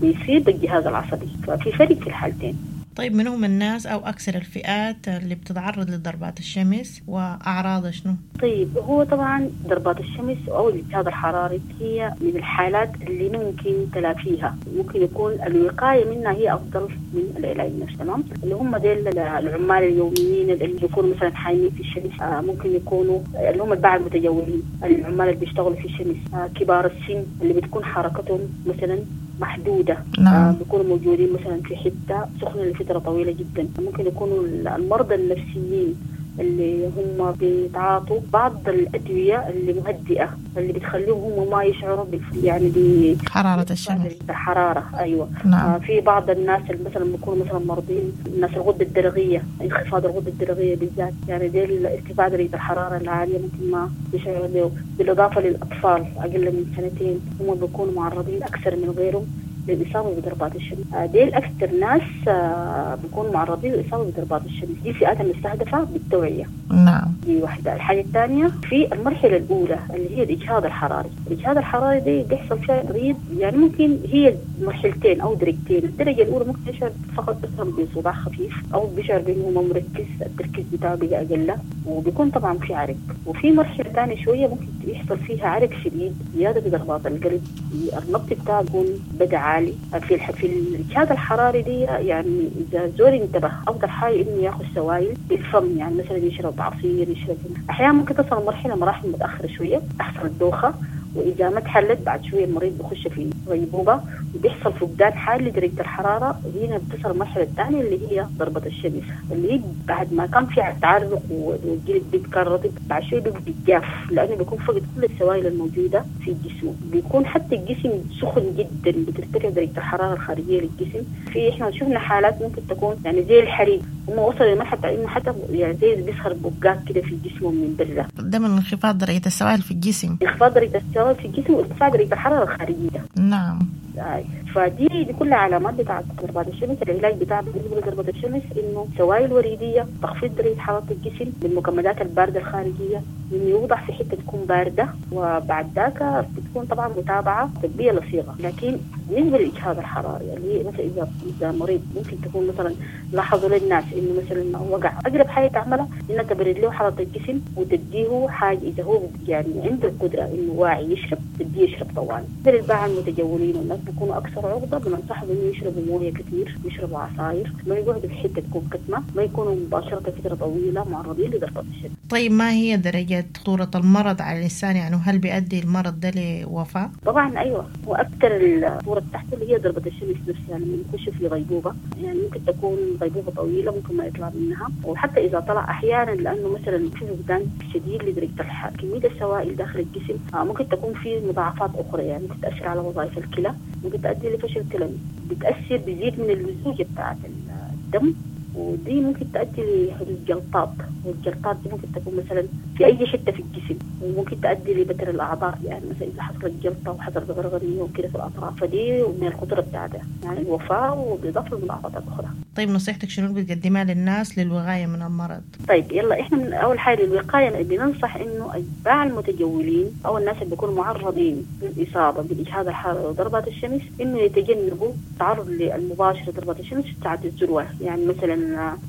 بيصيب الجهاز العصبي، ففي فرق في الحالتين. طيب من هم الناس أو أكثر الفئات اللي بتتعرض لضربات الشمس وأعراضها شنو؟ طيب هو طبعا ضربات الشمس أو الإجهاد الحراري هي من الحالات اللي ممكن تلافيها، ممكن يكون الوقاية منها هي أفضل من العلاج نفسه. تمام؟ اللي هم ديل العمال اليوميين اللي بيكونوا مثلا حايمين في الشمس، ممكن يكونوا اللي هم الباعة المتجولين، العمال اللي بيشتغلوا في الشمس، كبار السن اللي بتكون حركتهم مثلا محدودة. نعم. آه بيكونوا موجودين مثلا في حتة سخنة لفترة طويلة جدا. ممكن يكونوا المرضى النفسيين اللي هم بيتعاطوا بعض الأدوية اللي مهدئة اللي بتخليهم هم ما يشعروا بالف... يعني بحرارة الشمس، الحرارة. أيوة. نعم. آه في بعض الناس اللي مثلا بيكونوا مثلا مرضين، الناس الغدة الدرقية، انخفاض الغدة الدرقية بالذات، يعني دي ارتفاع درجة الحرارة العالية ممكن ما يشعروا به. بالإضافة للأطفال أقل من سنتين هم بيكونوا معرضين أكثر من غيرهم للإصابة بضربات الشمس. ديل أكثر ناس بيكونوا معرضين للإصابة بضربات الشمس، دي فئات المستهدفة بالتوعية. نعم. دي واحدة. الحاجة الثانية في المرحلة الأولى اللي هي الإجهاد الحراري. الإجهاد الحراري دي بيحصل فيها مريض، يعني ممكن هي مرحلتين أو درجتين. الدرجة الأولى ممكن يشعر فقط مثلا بصداع خفيف أو بيشعر بأنه ما مركز، التركيز بتاعه بقى أقل، وبيكون طبعا في عرق. وفي مرحلة ثانية شوية ممكن يحصل فيها عرق شديد، زيادة في ضربات القلب، النبض بتاعه بيكون بدأ عالي. في في الإجهاد الحراري دي يعني إذا الزول انتبه أفضل حاجة إنه ياخذ سوائل بالفم، يعني مثلا يشرب عصير، يشرب. أحيانا ممكن تصل مرحلة مراحل متأخرة شوية تحصل الدوخة، وإذا ما تحلت بعد شوية المريض بيخش في غيبوبة وبيحصل فقدان حاد لدرجة الحرارة. هنا بتصل المرحلة الثانية اللي هي ضربة الشمس، اللي هي بعد ما كان في تعرق والجلد بيبقى رطب، بعد شوية بيبقى جاف لأنه بيكون فقد كل السوائل الموجودة في جسمه، بيكون حتى الجسم سخن جدا، بترتفع درجة الحرارة الخارجية للجسم. في إحنا شفنا حالات ممكن تكون يعني زي الحريق، هم وصلوا لمرحلة إنه حتى يعني زي بيظهر بقات كده في جسمه من برا. ده من انخفاض درجة السوائل في الجسم. انخفاض درجة السوائل في الجسم وارتفاع درجة الحرارة الخارجية. نعم. فدي دي كلها علامات بتاعت ضربات الشمس. العلاج بتاع بالنسبة لضربة الشمس إنه سوائل وريدية، تخفيض درجة حرارة الجسم بالمكملات الباردة الخارجية، إنه يوضع في حتة تكون باردة، وبعد ذاك بتكون طبعا متابعة طبية لصيغة. لكن بالنسبة للإجهاد الحراري اللي هي مثلا إذا إذا مريض ممكن تكون مثلا لاحظوا للناس إنه مثلا وقع، أقرب حاجة تعملها إنها تبرد له حرارة الجسم وتديه حاجة إذا هو يعني عنده القدرة إنه واعي يشرب، تديه يشرب طوال. مثل الباعة المتجولين والناس بيكونوا أكثر عرضة، بننصحهم إنه يشربوا موية كثير، يشربوا عصاير، ما يقعدوا في حتة تكون كتمة، ما يكونوا مباشرة فترة طويلة معرضين لضربات الشمس. طيب ما هي درجة خطورة المرض على الإنسان؟ يعني هل بيؤدي المرض ده لوفاة؟ طبعا أيوة، وأكثر خطورة بتاعته اللي هي ضربة الشمس نفسها لما يخش في غيبوبة، يعني ممكن تكون غيبوبة طويلة ممكن ما يطلع منها، وحتى إذا طلع أحيانا لأنه مثلا في فقدان شديد لدرجة الحرارة، كمية السوائل داخل الجسم ممكن تكون في مضاعفات أخرى، يعني ممكن تأثر على وظائف الكلى، ممكن تؤدي لفشل كلوي، بتأثر بيزيد من اللزوجة بتاعة الدم، ودي ممكن تؤدي لحدوث جلطات، والجلطات دي ممكن تكون مثلا في أي حتة في الجسم، وممكن تؤدي لبتر الأعضاء، يعني مثلا إذا حصلت جلطة وحصلت غرغرية وكده في الأطراف، فدي من الخطورة بتاعتها يعني الوفاة وبإضافة للمضاعفات الأخرى. طيب نصيحتك شنو بتقدمها للناس للوقاية من المرض؟ طيب يلا إحنا من أول حاجة للوقاية بننصح إنه أتباع المتجولين أو الناس اللي بيكونوا معرضين للإصابة بالإجهاد الحراري وضربات الشمس إنه يتجنبوا التعرض المباشر لضربات الشمس في ساعة الذروة، يعني مثلا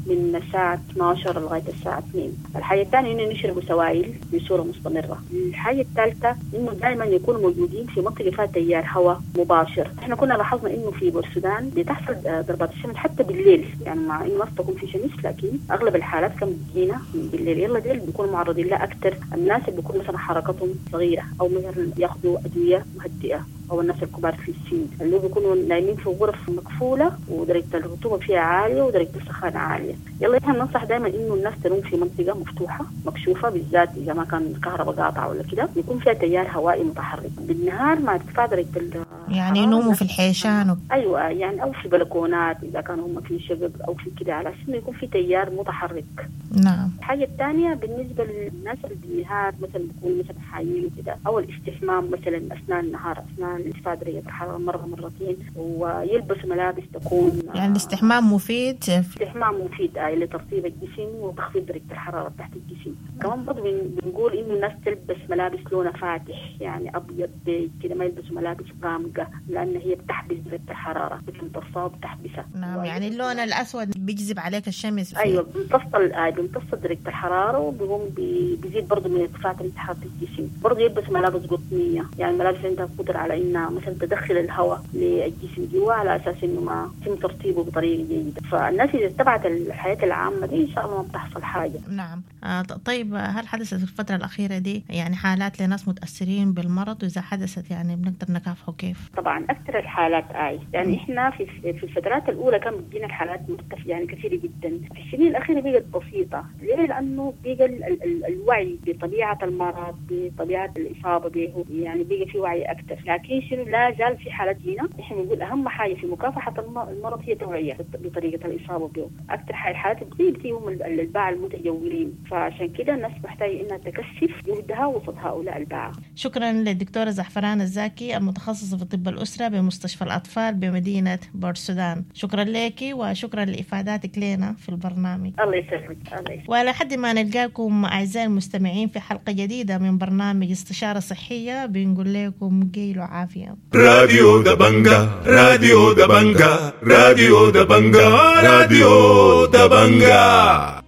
من الساعة اثنا عشر لغاية الساعة اثنين. الحاجة الثانية إنه يشربوا سوائل بصورة مستمرة. الحاجة الثالثة إنه دائما يكونوا موجودين في منطقة فيها تيار هواء مباشر. إحنا كنا لاحظنا إنه في بورسودان بتحصل ضربات الشمس حتى بالليل، يعني مع إنه ما تكون في شمس لكن أغلب الحالات كانت بتجينا بالليل. يلا ديل بيكونوا معرضين لها أكثر الناس اللي بيكون مثلا حركتهم صغيرة أو مثلا ياخذوا أدوية مهدئة، أو الناس الكبار في السن اللي بيكونوا نايمين في غرف مقفولة ودرجة الرطوبة فيها عالية ودرجة السخانة عالية. يلا إحنا بننصح دائما إنه الناس تنوم في منطقة مفتوحة مكشوفة، بالذات إذا ما كان الكهرباء قاطعة ولا كده، يكون فيها تيار هوائي متحرك بالنهار مع ارتفاع درجة ال يعني ينوموا في الحيشان و... أيوة يعني أو في بلكونات إذا كانوا هم في شقق أو في كده، على أساس إنه يكون في تيار متحرك. نعم. الحاجة الثانية بالنسبة للناس اللي بالنهار مثلا بيكونوا مثلا حايين وكده، أو الاستحمام مثلا أثناء النهار أثناء ارتفاع درجة الحرارة مرة مرتين، ويلبسوا ملابس تكون يعني الاستحمام مفيد. الاستحمام مفيد آه لترطيب الجسم وتخفيض درجة الحرارة تحت الجسم. كمان برضه بنقول إنه الناس تلبس ملابس لونها فاتح، يعني أبيض بيج كده، ما يلبسوا ملابس غامقة لأن هي بتحبس درجة الحرارة، بتمتصها وبتحبسها. نعم، يعني اللون الأسود بيجذب عليك الشمس. أيوة بيمتص آه بيمتص درجة الحرارة وبيقوم بيزيد برضه من ارتفاع درجة حرارة الجسم. برضه يلبس ملابس قطنية، يعني ملابس عندها قدرة على إنها مثلا تدخل الهواء للجسم جوا على أساس إنه ما يتم ترطيبه بطريقة جيدة. فالناس إذا اتبعت الحياة العامة دي إن شاء الله ما بتحصل حاجة. نعم. آه طيب هل حدثت في الفترة الأخيرة دي يعني حالات لناس متأثرين بالمرض، وإذا حدثت يعني بنقدر نكافحه كيف؟ طبعا أكثر الحالات آي يعني إحنا في في الفترات الأولى كان بتجينا الحالات مرتفعة يعني كثيرة جدا، في السنين الأخيرة بقت بسيطة. ليه؟ لأنه بقى ال ال الوعي بطبيعة المرض بطبيعة الإصابة به، يعني بقى في وعي أكثر. لكن شنو لا زال في حالات جينا إحنا بنقول أهم حاجة في مكافحة المرض هي توعية بطريقة الإصابة به. أكثر الحالات بتيجي هم الباعة المتجولين، فعشان كده الناس محتاجة إنها تكثف جهدها وسط هؤلاء الباعة. شكرا للدكتورة زعفران الزاكي المتخصصة في طب الأسرة بمستشفى الأطفال بمدينة بورسودان. شكرا لك وشكرا لإفاداتك لنا في البرنامج. الله يسلمك. الله يسلمك. ولحد ما نلقاكم أعزائي المستمعين في حلقة جديدة من برنامج استشارة صحية، بنقول لكم قيلوا عافية. راديو دبنجا، راديو دبنجا، راديو دبنجا، راديو دبنجا.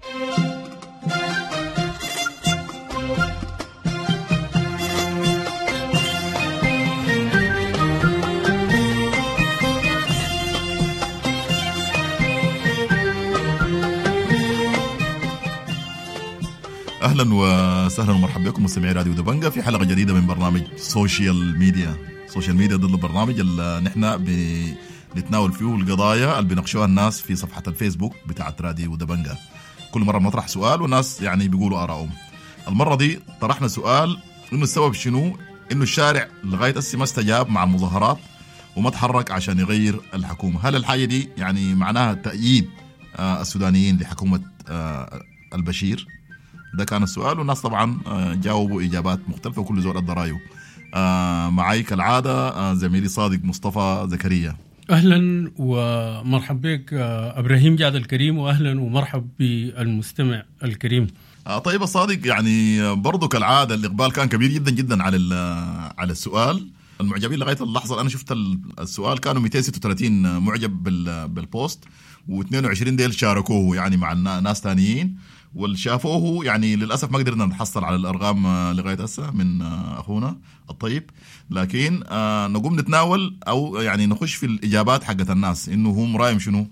اهلا وسهلا ومرحبا بكم مستمعي راديو دبنجا في حلقة جديدة من برنامج social media. social media ضد البرنامج اللي نحن بنتناول فيه القضايا اللي بيناقشوها الناس في صفحة الفيسبوك بتاعه راديو دبنجا. كل مرة بنطرح سؤال والناس يعني بيقولوا ارائهم. المرة دي طرحنا سؤال انه السبب شنو انه الشارع لغاية هسه ما استجاب مع المظاهرات وما تحرك عشان يغير الحكومة. هل الحاجة دي يعني معناها تأييد السودانيين لحكومة البشير؟ ده كان السؤال، والناس طبعا جاوبوا إجابات مختلفة وكل زول أدى رأيه. معي كالعادة زميلي صادق مصطفى زكريا. أهلا ومرحب بك إبراهيم جاد الكريم، وأهلا ومرحب بالمستمع الكريم. طيب صادق، يعني برضو كالعادة الإقبال كان كبير جدا جدا على على السؤال. المعجبين لغاية اللحظة أنا شفت السؤال كانوا مئتين وستة وثلاثين معجب بال post، واثنين وعشرين ديل شاركوه يعني مع ناس تانيين، واللي شافوه يعني للاسف ما قدرنا نحصل على الارقام لغاية هسه من اخونا الطيب، لكن نقوم نتناول او يعني نخش في الاجابات حقت الناس انه هم رايهم شنو.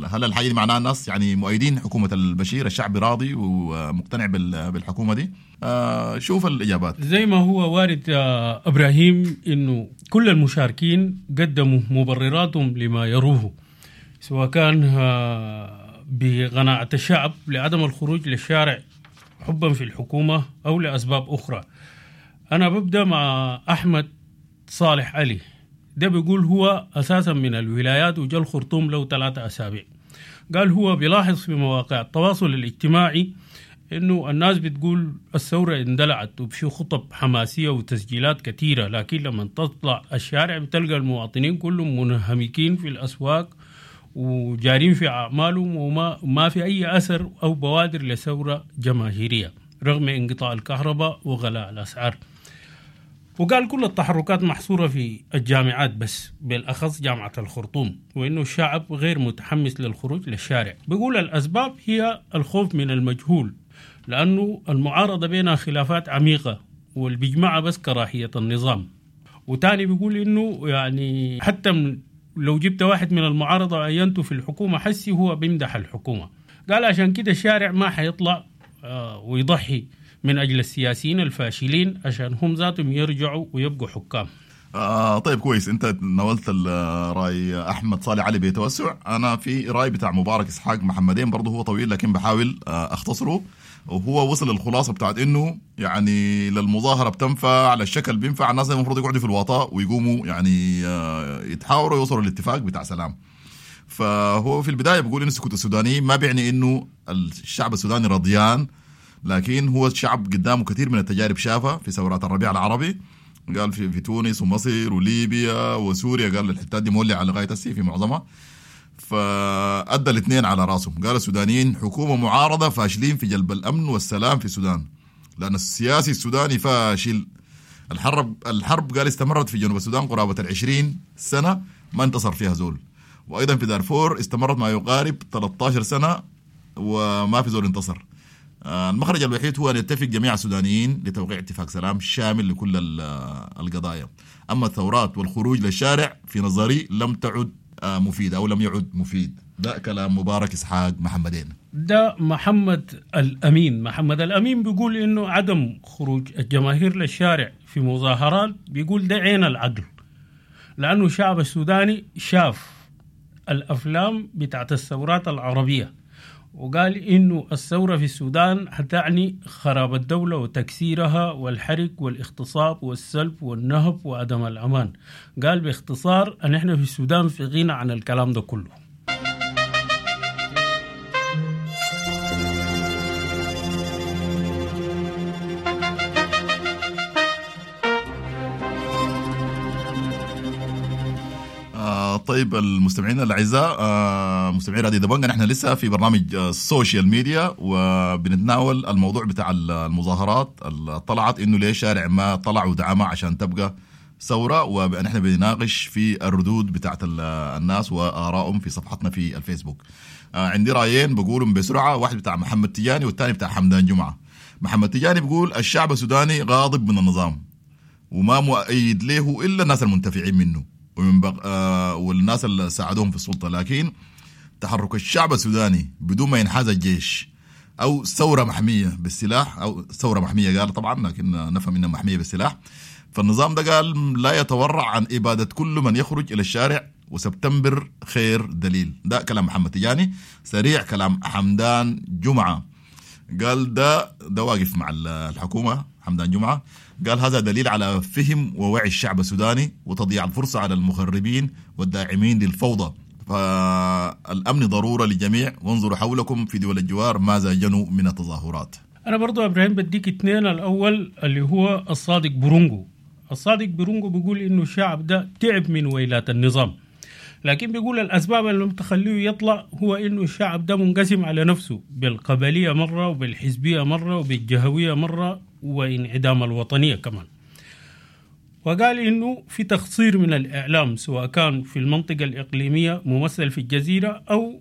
هل الحاجة دي معناها الناس يعني مؤيدين حكومة البشير، الشعب راضي ومقتنع بالحكومة دي؟ شوف الاجابات زي ما هو وارد يا ابراهيم انه كل المشاركين قدموا مبرراتهم لما يروه، سواء كان بقناعة الشعب لعدم الخروج للشارع حبا في الحكومة أو لأسباب أخرى. أنا ببدأ مع أحمد صالح علي، ده بيقول هو أساسا من الولايات وجا الخرطوم له ثلاثة أسابيع. قال هو بيلاحظ في مواقع التواصل الاجتماعي إنه الناس بتقول الثورة اندلعت وفي خطب حماسية وتسجيلات كثيرة، لكن لما تطلع الشارع بتلقى المواطنين كلهم منهمكين في الأسواق وجارين في أعمالهم وما ما في أي أثر أو بوادر لثورة جماهيرية رغم انقطاع الكهرباء وغلاء الأسعار. وقال كل التحركات محصورة في الجامعات بس، بالأخص جامعة الخرطوم، وإنه الشعب غير متحمس للخروج للشارع. بيقول الأسباب هي الخوف من المجهول، لأنه المعارضة بينها خلافات عميقة والبيجمعها بس كراهية النظام. وتاني بيقول إنه يعني حتى لو جبت واحد من المعارضة عينته في الحكومة حسي هو بيمدح الحكومة. قال عشان كده الشارع ما حيطلع ويضحي من أجل السياسيين الفاشلين عشان هم ذاتهم يرجعوا ويبقوا حكام. آه طيب كويس، أنت ناولت الرأي أحمد صالح علي بتوسع. أنا في رأي بتاع مبارك إسحاق محمدين برضه هو طويل لكن بحاول أختصره، وهو وصل للخلاصة بتاعت إنه يعني للمظاهرة بتنفع على الشكل بينفع، الناس المفروض يقعدوا في الوطاء ويقوموا يعني يتحاوروا ويوصلوا للاتفاق بتاع سلام. فهو في البداية بيقول إنه سكوت السوداني ما بيعني إنه الشعب السوداني رضيان، لكن هو الشعب قدامه كثير من التجارب شافها في ثورات الربيع العربي، قال في, في تونس ومصر وليبيا وسوريا، قال الحتات دي مولعة لغاية هسه في معظمها. فأدى الاثنين على راسهم، قال السودانيين حكومة معارضة فاشلين في جلب الأمن والسلام في السودان، لأن السياسي السوداني فاشل. الحرب الحرب قال استمرت في جنوب السودان قرابة العشرين سنة ما انتصر فيها زول، وأيضا في دارفور استمرت ما يقارب ثلاثة عشر سنة وما في زول انتصر. المخرج الوحيد هو أن يتفق جميع السودانيين لتوقيع اتفاق سلام شامل لكل القضايا. أما الثورات والخروج للشارع في نظري لم تعد مفيد أو لم يعد مفيد. ده كلام مبارك إسحاق محمدين. ده محمد الأمين. محمد الأمين بيقول إنه عدم خروج الجماهير للشارع في مظاهرات بيقول ده عين العقل، لأنه الشعب السوداني شاف الأفلام بتاعت الثورات العربية وقال إنه الثورة في السودان هتعني خراب الدولة وتكسيرها والحرق والاغتصاب والسلب والنهب وعدم الأمان. قال باختصار أن إحنا في السودان في غنى عن الكلام ده كله. طيب المستمعين الأعزاء، مستمعين راديو دبنجة، نحن لسه في برنامج ال social media وبنتناول الموضوع بتاع المظاهرات اللي طلعت إنه ليه شارع ما طلع ودعمها عشان تبقى ثورة، ونحن بنناقش في الردود بتاعت الناس وآرائهم في صفحتنا في الفيسبوك. عندي رأيين بقولهم بسرعة، واحد بتاع محمد تجاني والثاني بتاع حمدان جمعة. محمد تجاني بيقول الشعب السوداني غاضب من النظام وما مؤيد له إلا الناس المنتفعين منه ومن بق... آه والناس اللي ساعدوهم في السلطة، لكن تحرك الشعب السوداني بدون ما ينحاز الجيش أو ثورة محمية بالسلاح، أو ثورة محمية قال طبعا لكن نفهم إنها محمية بالسلاح، فالنظام ده قال لا يتورع عن إبادة كل من يخرج إلى الشارع، وسبتمبر خير دليل. ده كلام محمد تجاني. سريع كلام حمدان جمعة، قال ده ده واقف مع الحكومة. حمدان جمعة قال هذا دليل على فهم ووعي الشعب السوداني وتضييع الفرصة على المخربين والداعمين للفوضى، فالأمن ضرورة للجميع، وانظروا حولكم في دول الجوار ماذا جنوا من التظاهرات. أنا برضو إبراهيم بديك اثنين. الأول اللي هو الصادق برونجو. الصادق برونجو بيقول إنه الشعب ده تعب من ويلات النظام، لكن بيقول الأسباب اللي تخليه يطلع هو إنه الشعب ده منقسم على نفسه بالقبلية مرة وبالحزبية مرة وبالجهوية مرة وانعدام الوطنية كمان. وقال إنه في تقصير من الإعلام سواء كان في المنطقة الإقليمية ممثل في الجزيرة أو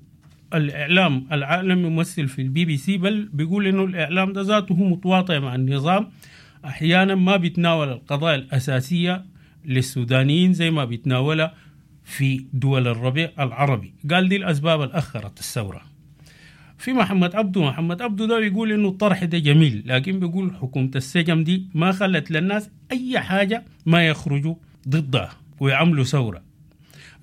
الإعلام العالمي ممثل في البي بي سي، بل بيقول إنه الإعلام ده ذاته هو متواطئ مع النظام، أحيانا ما بيتناول القضايا الأساسية للسودانيين زي ما بيتناولها في دول الربيع العربي. قال دي الأسباب الأخرت الثورة. في محمد عبده، محمد عبده ده بيقول إنه الطرح ده جميل، لكن بيقول حكومة السجم دي ما خلت للناس أي حاجة ما يخرجوا ضدها ويعملوا ثورة.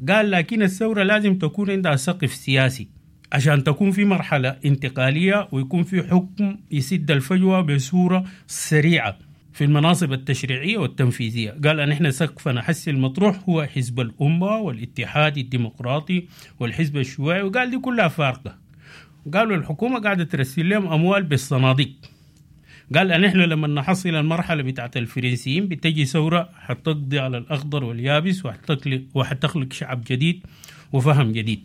قال لكن الثورة لازم تكون عندها سقف سياسي عشان تكون في مرحلة انتقالية ويكون في حكم يسد الفجوة بصورة سريعة في المناصب التشريعية والتنفيذية. قال أن إحنا سقفنا حس المطروح هو حزب الأمة والاتحاد الديمقراطي والحزب الشيوعي، وقال دي كلها فارقة. قالوا الحكومة قاعدة ترسل لهم أموال بالصناديق. قال أن إحنا لما نحصل المرحلة بتاعت الفرنسيين بتجي ثورة حتقضي على الأخضر واليابس وحتخلق شعب جديد وفهم جديد.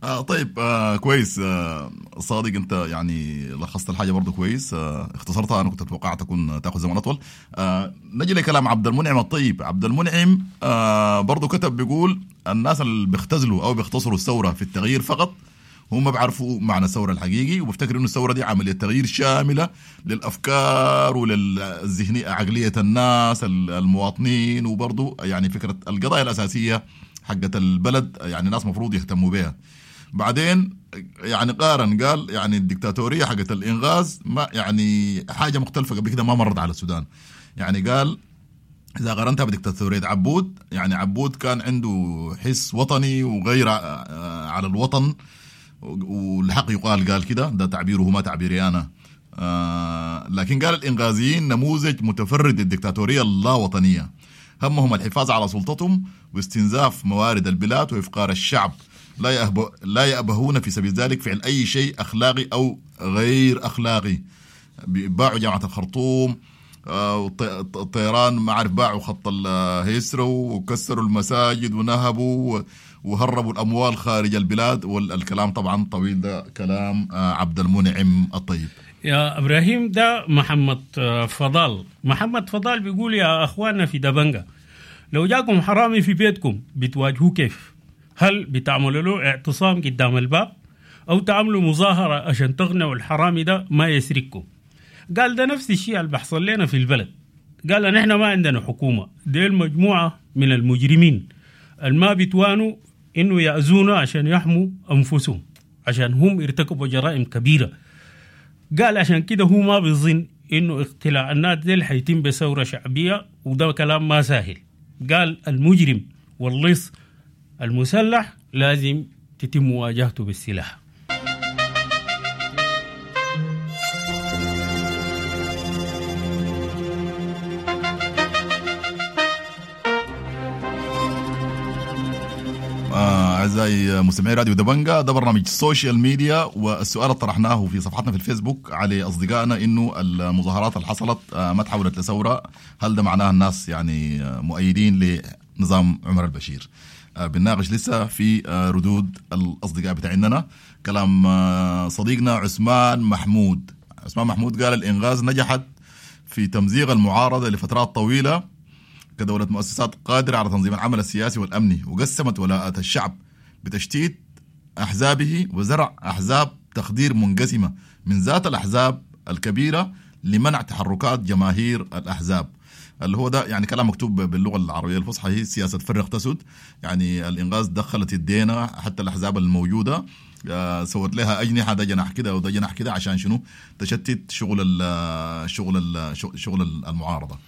آه طيب آه كويس آه صادق، انت يعني لخصت الحاجة برضو كويس، آه اختصرتها، انا كنت اتوقع تكون تاخذ زمن اطول. آه نجي لكلام عبد المنعم الطيب. عبد المنعم آه برضو كتب بيقول الناس اللي بيختزلوا او بيختصروا الثورة في التغيير فقط هم ما بيعرفوا معنى الثورة الحقيقي، وبفتكر انه الثورة دي عملية تغيير شاملة للافكار وللذهنيه عقلية الناس المواطنين، وبرضو يعني فكرة القضايا الاساسية حقت البلد يعني الناس مفروض يهتموا بها. بعدين يعني قارن قال يعني الدكتاتورية حقت الإنغاز ما يعني حاجة مختلفة قبل كده ما مرت على السودان. يعني قال إذا قارنتها بدكتاتورية عبود، يعني عبود كان عنده حس وطني وغير على الوطن والحق يقال، قال كده، ده تعبيره ما تعبيري أنا. آه لكن قال الإنغازيين نموذج متفرد للدكتاتورية اللاوطنية، همهم الحفاظ على سلطتهم واستنزاف موارد البلاد وإفقار الشعب، لا يأبه لا يأبهون في سبيل ذلك فعل أي شيء أخلاقي أو غير أخلاقي. باعوا جامعة الخرطوم، الطيران ما عارف باعوا خط الهيسرو وكسروا المساجد ونهبوا وهربوا الأموال خارج البلاد، والكلام طبعا طويل. ده كلام عبد المنعم الطيب. يا إبراهيم ده محمد فضال. محمد فضال بيقول يا أخواننا في دبنجة، لو جاكم حرامي في بيتكم بتواجهوه كيف؟ هل بتعملوا له اعتصام قدام الباب أو تعملوا مظاهرة عشان تغنوا الحرامي ده ما يسرقكم؟ قال ده نفس الشيء اللي بحصل لنا في البلد. قال نحن ما عندنا حكومة، دي المجموعة من المجرمين الما بيتوانوا إنه يأذونا عشان يحموا أنفسهم، عشان هم ارتكبوا جرائم كبيرة. قال عشان كده هو ما بيظن إنه اقتلاع الناس دي حيتم بثورة شعبية، وده كلام ما سهل. قال المجرم واللص المسلح لازم تتم مواجهته بالسلاح. أعزائي مستمعي راديو دبنجة، ده برنامج السوشيال ميديا، والسؤال اللي طرحناه في صفحتنا في الفيسبوك على أصدقائنا إنه المظاهرات اللي حصلت ما تحولت لثورة، هل ده معناه الناس يعني مؤيدين لنظام عمر البشير؟ بنناقش لسه في ردود الأصدقاء بتاعنا. كلام صديقنا عثمان محمود. عثمان محمود قال الإنغاز نجحت في تمزيق المعارضة لفترات طويلة كدولة مؤسسات قادرة على تنظيم العمل السياسي والأمني، وقسمت ولاءات الشعب بتشتيت أحزابه وزرع أحزاب تخدير منقسمة من ذات الأحزاب الكبيرة لمنع تحركات جماهير الأحزاب. اللي هو ده يعني كلام مكتوب باللغة العربية الفصحى، هي سياسة فرق تسد. يعني الإنغاز دخلت الدينة حتى الأحزاب الموجودة، سوت لها أجنحة، ده جناح كده وده جناح كده، عشان شنو؟ تشتت شغل ال شغل ال شغل المعارضة.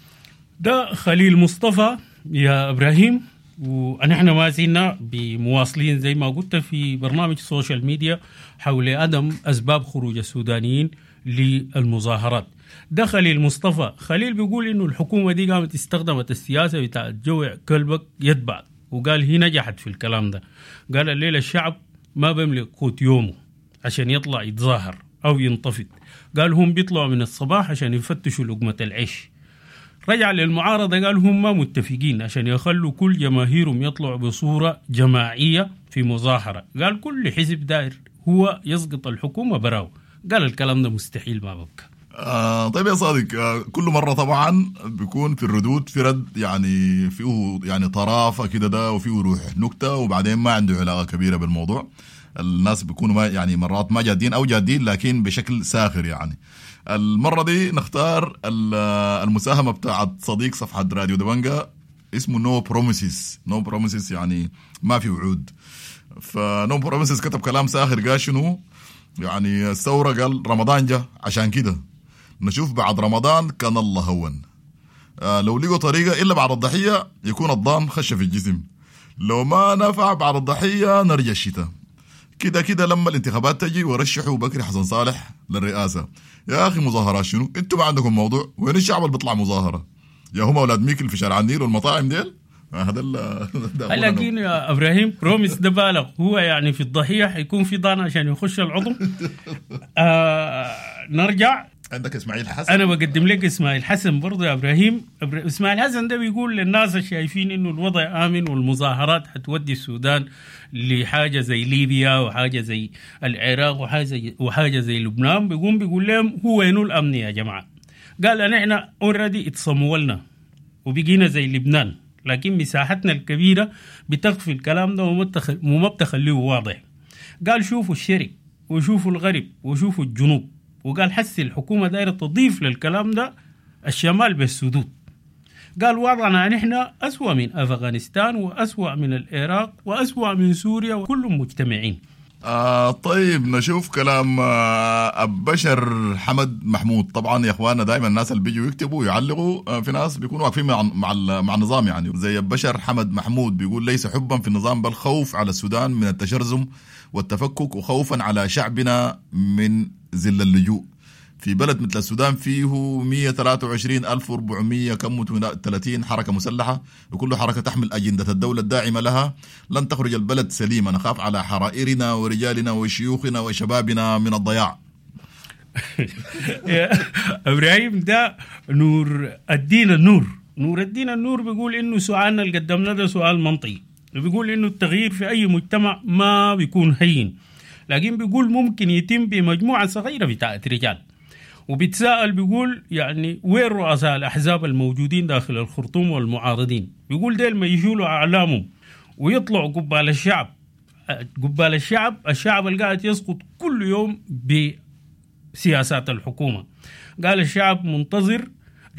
ده خليل مصطفى يا إبراهيم، ونحن ما زلنا بمواصلين زي ما قلت في برنامج السوشيال ميديا حول عدم أسباب خروج السودانيين للمظاهرات. ده خليل مصطفى. خليل بيقول إنه الحكومة دي قامت استخدمت السياسة بتاع جوع كلبك يتبع، وقال هي نجحت في الكلام ده. قال الليلة الشعب ما بيملك قوت يومه عشان يطلع يتظاهر أو ينتفض، قال هم بيطلعوا من الصباح عشان يفتشوا لقمة العيش. رجع للمعارضة قال هم ما متفقين عشان يخلوا كل جماهيرهم يطلعوا بصورة جماعية في مظاهرة. قال كل حزب دائر هو يسقط الحكومة براو. قال الكلام ده مستحيل ما ببقى. آه طيب يا صادق، آه كل مرة طبعا بيكون في الردود في رد يعني فيه يعني طرافة كده ده، وفيه روح نكتة، وبعدين ما عنده علاقة كبيرة بالموضوع. الناس بيكونوا ما يعني مرات ما جادين او جادين لكن بشكل ساخر. يعني المرة دي نختار المساهمة بتاعت صديق صفحة راديو دبنجا اسمه No Promises. No Promises يعني ما في وعود. ف No Promises كتب كلام ساخر، قال شنو يعني الثورة، قال رمضان جا عشان كده نشوف بعد رمضان كان الله هون. آه لو لقوا طريقة إلا بعد الضحية يكون الضان خش في الجسم، لو ما نفع بعد الضحية نرجع الشتاء. كده كده لما الانتخابات تجي ورشحوا بكري حسن صالح للرئاسة. يا أخي مظاهرات شنو؟ انتوا ما عندكم موضوع؟ وين الشعب اللي بيطلع مظاهرة؟ يا هم أولاد ميكل في شارع النيل والمطاعم ديل؟ هذا لكن يا ابراهيم promise ده بالغ، هو يعني في الضحية حيكون في ضان عشان يخش العظم. آه نرجع عندك اسماعيل حسن. انا بقدم لك اسماعيل حسن برضه يا ابراهيم. اسماعيل حسن ده بيقول للناس الشايفين انه الوضع امن والمظاهرات حتودي السودان لحاجة زي ليبيا وحاجه زي العراق وحاجه زي وحاجه زي لبنان، بيقوم بيقول لهم هو وينو الامن يا جماعة؟ قال احنا already اتصمولنا وبقينا زي لبنان، لكن مساحتنا الكبيرة بتخفي الكلام ده وما بتخليه واضح. قال شوفوا الشرق وشوفوا الغرب وشوفوا الجنوب، وقال حس الحكومة دايرة تضيف للكلام ده الشمال بالسدود. قال وضعنا نحن أسوأ من أفغانستان وأسوأ من العراق وأسوأ من سوريا وكلهم مجتمعين. آه طيب نشوف كلام آه البشر حمد محمود. طبعا يا اخواننا دائما الناس اللي بيجوا يكتبوا ويعلقوا آه في ناس بيكونوا واقفين مع مع مع النظام، يعني زي البشر حمد محمود بيقول ليس حبا في النظام بل خوف على السودان من التشرذم والتفكك وخوفا على شعبنا من ذل اللجوء. في بلد مثل السودان فيه مئة وثلاثة وعشرين ألف وأربعمئة كم وثلاثين حركة مسلحة، وكل حركة تحمل أجندة الدولة الداعمة لها، لن تخرج البلد سليمة. نخاف على حرائرنا ورجالنا وشيوخنا وشبابنا من الضياع. يا إبراهيم ده نور الدين النور، نور الدين النور بيقول إنه سؤالنا اللي قدمنا ده سؤال منطقي، بيقول إنه التغيير في أي مجتمع ما بيكون هين، لكن بيقول ممكن يتم بمجموعة صغيرة بتاعت رجال. وبيتساءل بيقول يعني وين رؤساء الأحزاب الموجودين داخل الخرطوم والمعارضين؟ بيقول ديل ما يشيلوا أعلامهم ويطلعوا قبال الشعب، قبال الشعب، الشعب اللي قاعد يسقط كل يوم بسياسات الحكومة. قال الشعب منتظر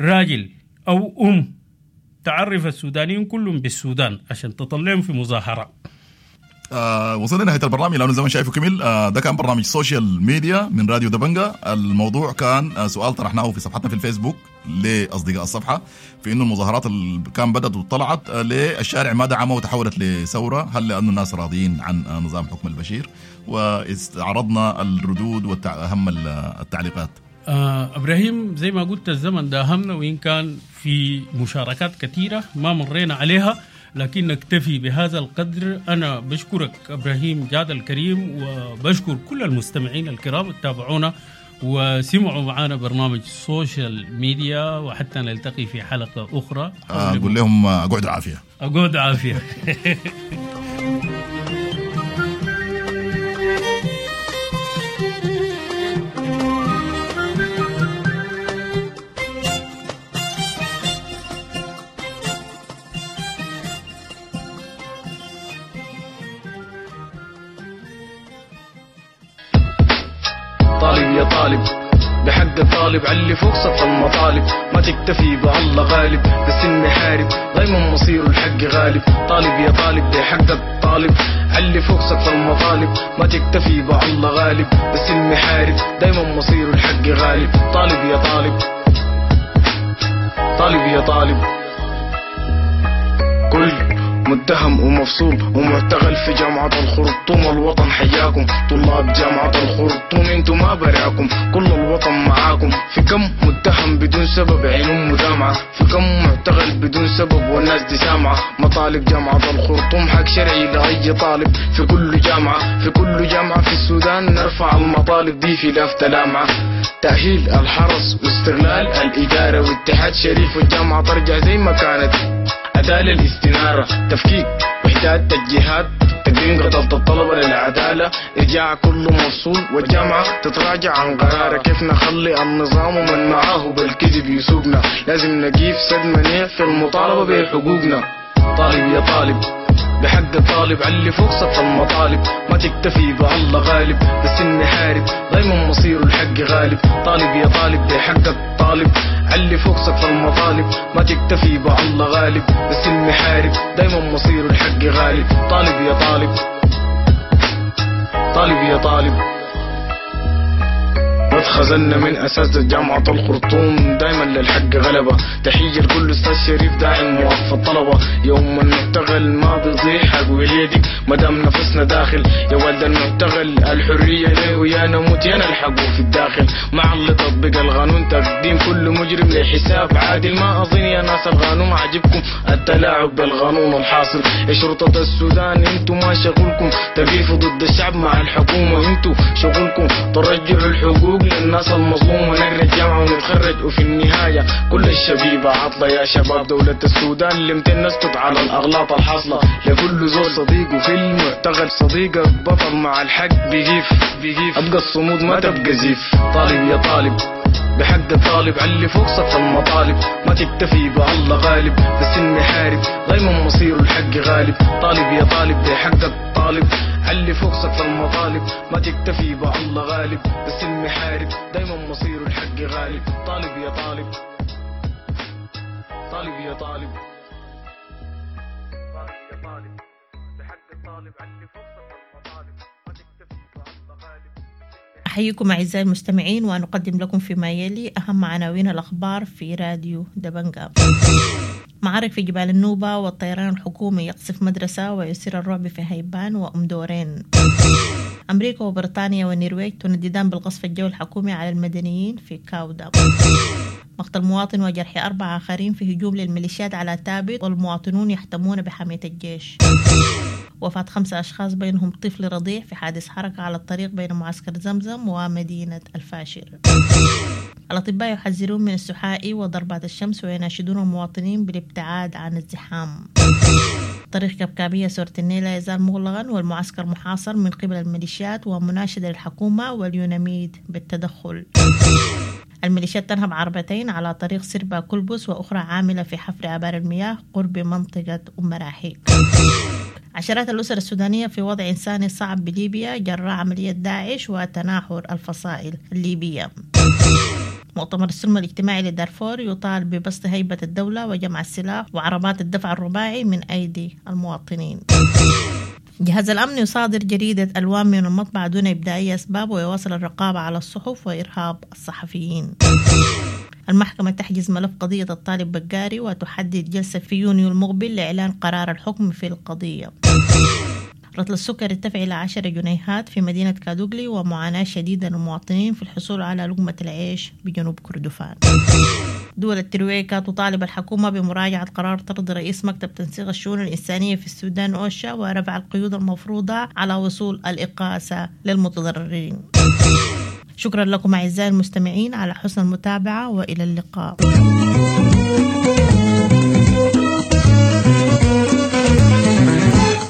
راجل أو أم تعرف السودانيين كلهم بالسودان عشان تطلعهم في مظاهرة. آه وصلنا لنهاية البرنامج لأنه زي ما شايفه كمل. آه ده كان برنامج social media من راديو دبنجا. الموضوع كان آه سؤال طرحناه في صفحتنا في الفيسبوك لأصدقاء الصفحة في إنه المظاهرات اللي كان بدأت وطلعت آه للشارع ما دعمه وتحولت لثورة، هل لأنه الناس راضيين عن آه نظام حكم البشير؟ واستعرضنا الردود وأهم التعليقات. آه إبراهيم زي ما قلت الزمن ده أهمنا، وإن كان في مشاركات كثيرة ما مرينا عليها لكن نكتفي بهذا القدر. أنا بشكرك إبراهيم جاد الكريم، وبشكر كل المستمعين الكرام تابعونا وسمعوا معنا برنامج social media، وحتى نلتقي في حلقة أخرى. أقول لهم أقعدوا عافية، أقعدوا عافية. طالب بحق الطالب علي فوق سقف المطالب، ما تكتفي بالله غالب، بالسن حارب دايما مصيره الحق غالب. طالب يا طالب بحق الطالب علي فوق سقف المطالب، ما تكتفي بالله غالب، بالسن حارب دايما مصيره الحق غالب. طالب يا طالب، طالب يا طالب، كل متهم ومفصول ومعتقل في جامعة الخرطوم. الوطن حياكم طلاب جامعة الخرطوم، انتو ما براكم، كل الوطن معاكم. في كم متهم بدون سبب عينهم مدامعة، في كم معتقل بدون سبب والناس دي سامعة. مطالب جامعة الخرطوم حق شرعي لأي طالب في كل جامعة، في كل جامعة في السودان نرفع المطالب دي في لافتة لامعة. تأهيل الحرس واستغلال الإدارة واتحاد شريف، والجامعة ترجع زي ما كانت. عدالة الاستنارة، تفكيك وحدات الجهاد، تقديم قضاء الطلبة للعدالة، إرجاع كل مفصول والجامعة تتراجع عن قرارها. كيف نخلي النظام ومن معاه بالكذب يسوقنا، لازم نقيف سد منيع في المطالبة بحقوقنا. طالب يا طالب بحق الطالب. طالب علي فوق سقف المطالب، ما تكتفي بالله غالب، بس إني حارب دايما مصيره الحق غالب. طالب يا طالب بحقك طالب، علي فوق سقف المطالب، ما تكتفي بالله غالب، بس إني حارب دايما مصيره الحق غالب. طالب يا طالب، طالب يا طالب. ما اتخذلنا من أساتذة جامعة الخرطوم، دايما للحق غلبة. تحية لكل أستاذ شريف داعم موقف الطلبة، يوم المعتقل ما بيضيع حق وليدك مدام نفسنا داخل. يا والد المعتقل الحرية ليه ويا نموت يا نلحقه في الداخل، مع اللي تطبق القانون تقديم كل مجرم لحساب عادل. ما أظن يا ناس القانون عاجبكم التلاعب بالقانون الحاصل. يا شرطة السودان انتو ما شغلكم تقيفوا ضد الشعب مع الحكومة، انتو شغلكم ترجعوا الحقوق للناس المظلومة. نقرا الجامعة ونتخرج وفي النهاية كل الشبيبة عطلة. يا شباب دولة السودان لمتين نسكت على الأغلاط الحاصلة؟ لكل زول صديقه في المعتقل، صديقك بطل مع الحق بيجيف بيجيف، أبقى الصمود ما تبقى زيف. طالب يا طالب بحق الطالب، علي فوق سقف المطالب، ما تكتفي بالله غالب، بس إني حارب دايما مصيره الحق غالب. طالب يا طالب بحقك طالب، علي فوق سقف المطالب، ما تكتفي بالله غالب، بس إني حارب دايما مصيره الحق غالب. طالب يا طالب، طالب يا طالب، طالب يا طالب بحق الطالب، علي فوق سقف المطالب، ما تكتفي بالله غالب. أحييكم أعزائي المستمعين، ونقدم لكم فيما يلي أهم عناوين الأخبار في راديو دبنجا. معارك في جبال النوبة والطيران الحكومي يقصف مدرسة ويثير الرعب في هيبان وأم دورين. أمريكا وبريطانيا والنرويج تنددان بالقصف الجوي الحكومي على المدنيين في كاودا. مقتل مواطن وجرح أربعة آخرين في هجوم للميليشيات على تابت، والمواطنون يحتمون بحماية الجيش. وفاة خمسة أشخاص بينهم طفل رضيع في حادث حركة على الطريق بين معسكر زمزم ومدينة الفاشر. الأطباء يحذرون من السحائي وضربات الشمس ويناشدون المواطنين بالابتعاد عن الزحام. طريق كبكابية سورة النيل لا يزال مغلقا والمعسكر محاصر من قبل الميليشيات، ومناشدة للحكومة واليوناميد بالتدخل. الميليشيات تنهب عربتين على طريق سربا كلبس وأخرى عاملة في حفر آبار المياه قرب منطقة أم مراحيك. عشرات الأسر السودانية في وضع إنساني صعب بليبيا جراء عملية داعش وتناحر الفصائل الليبية. مؤتمر السلم الاجتماعي لدارفور يطالب ببسط هيبة الدولة وجمع السلاح وعربات الدفع الرباعي من أيدي المواطنين. جهاز الأمن يصادر جريدة ألوان من المطبعة دون إبداء أي أسباب ويواصل الرقابة على الصحف وإرهاب الصحفيين. المحكمة تحجز ملف قضية الطالب بقاري وتحدد جلسة في يونيو المقبل لإعلان قرار الحكم في القضية. رطل السكر ارتفع إلى عشرة جنيهات في مدينة كادوغلي، ومعاناة شديدة للمواطنين في الحصول على لقمة العيش بجنوب كردفان. دول الترويكا تطالب الحكومة بمراجعة قرار طرد رئيس مكتب تنسيق الشؤون الإنسانية في السودان أوشا ورفع القيود المفروضة على وصول الإغاثة للمتضررين. شكرا لكم أعزائي المستمعين على حسن المتابعة، وإلى اللقاء.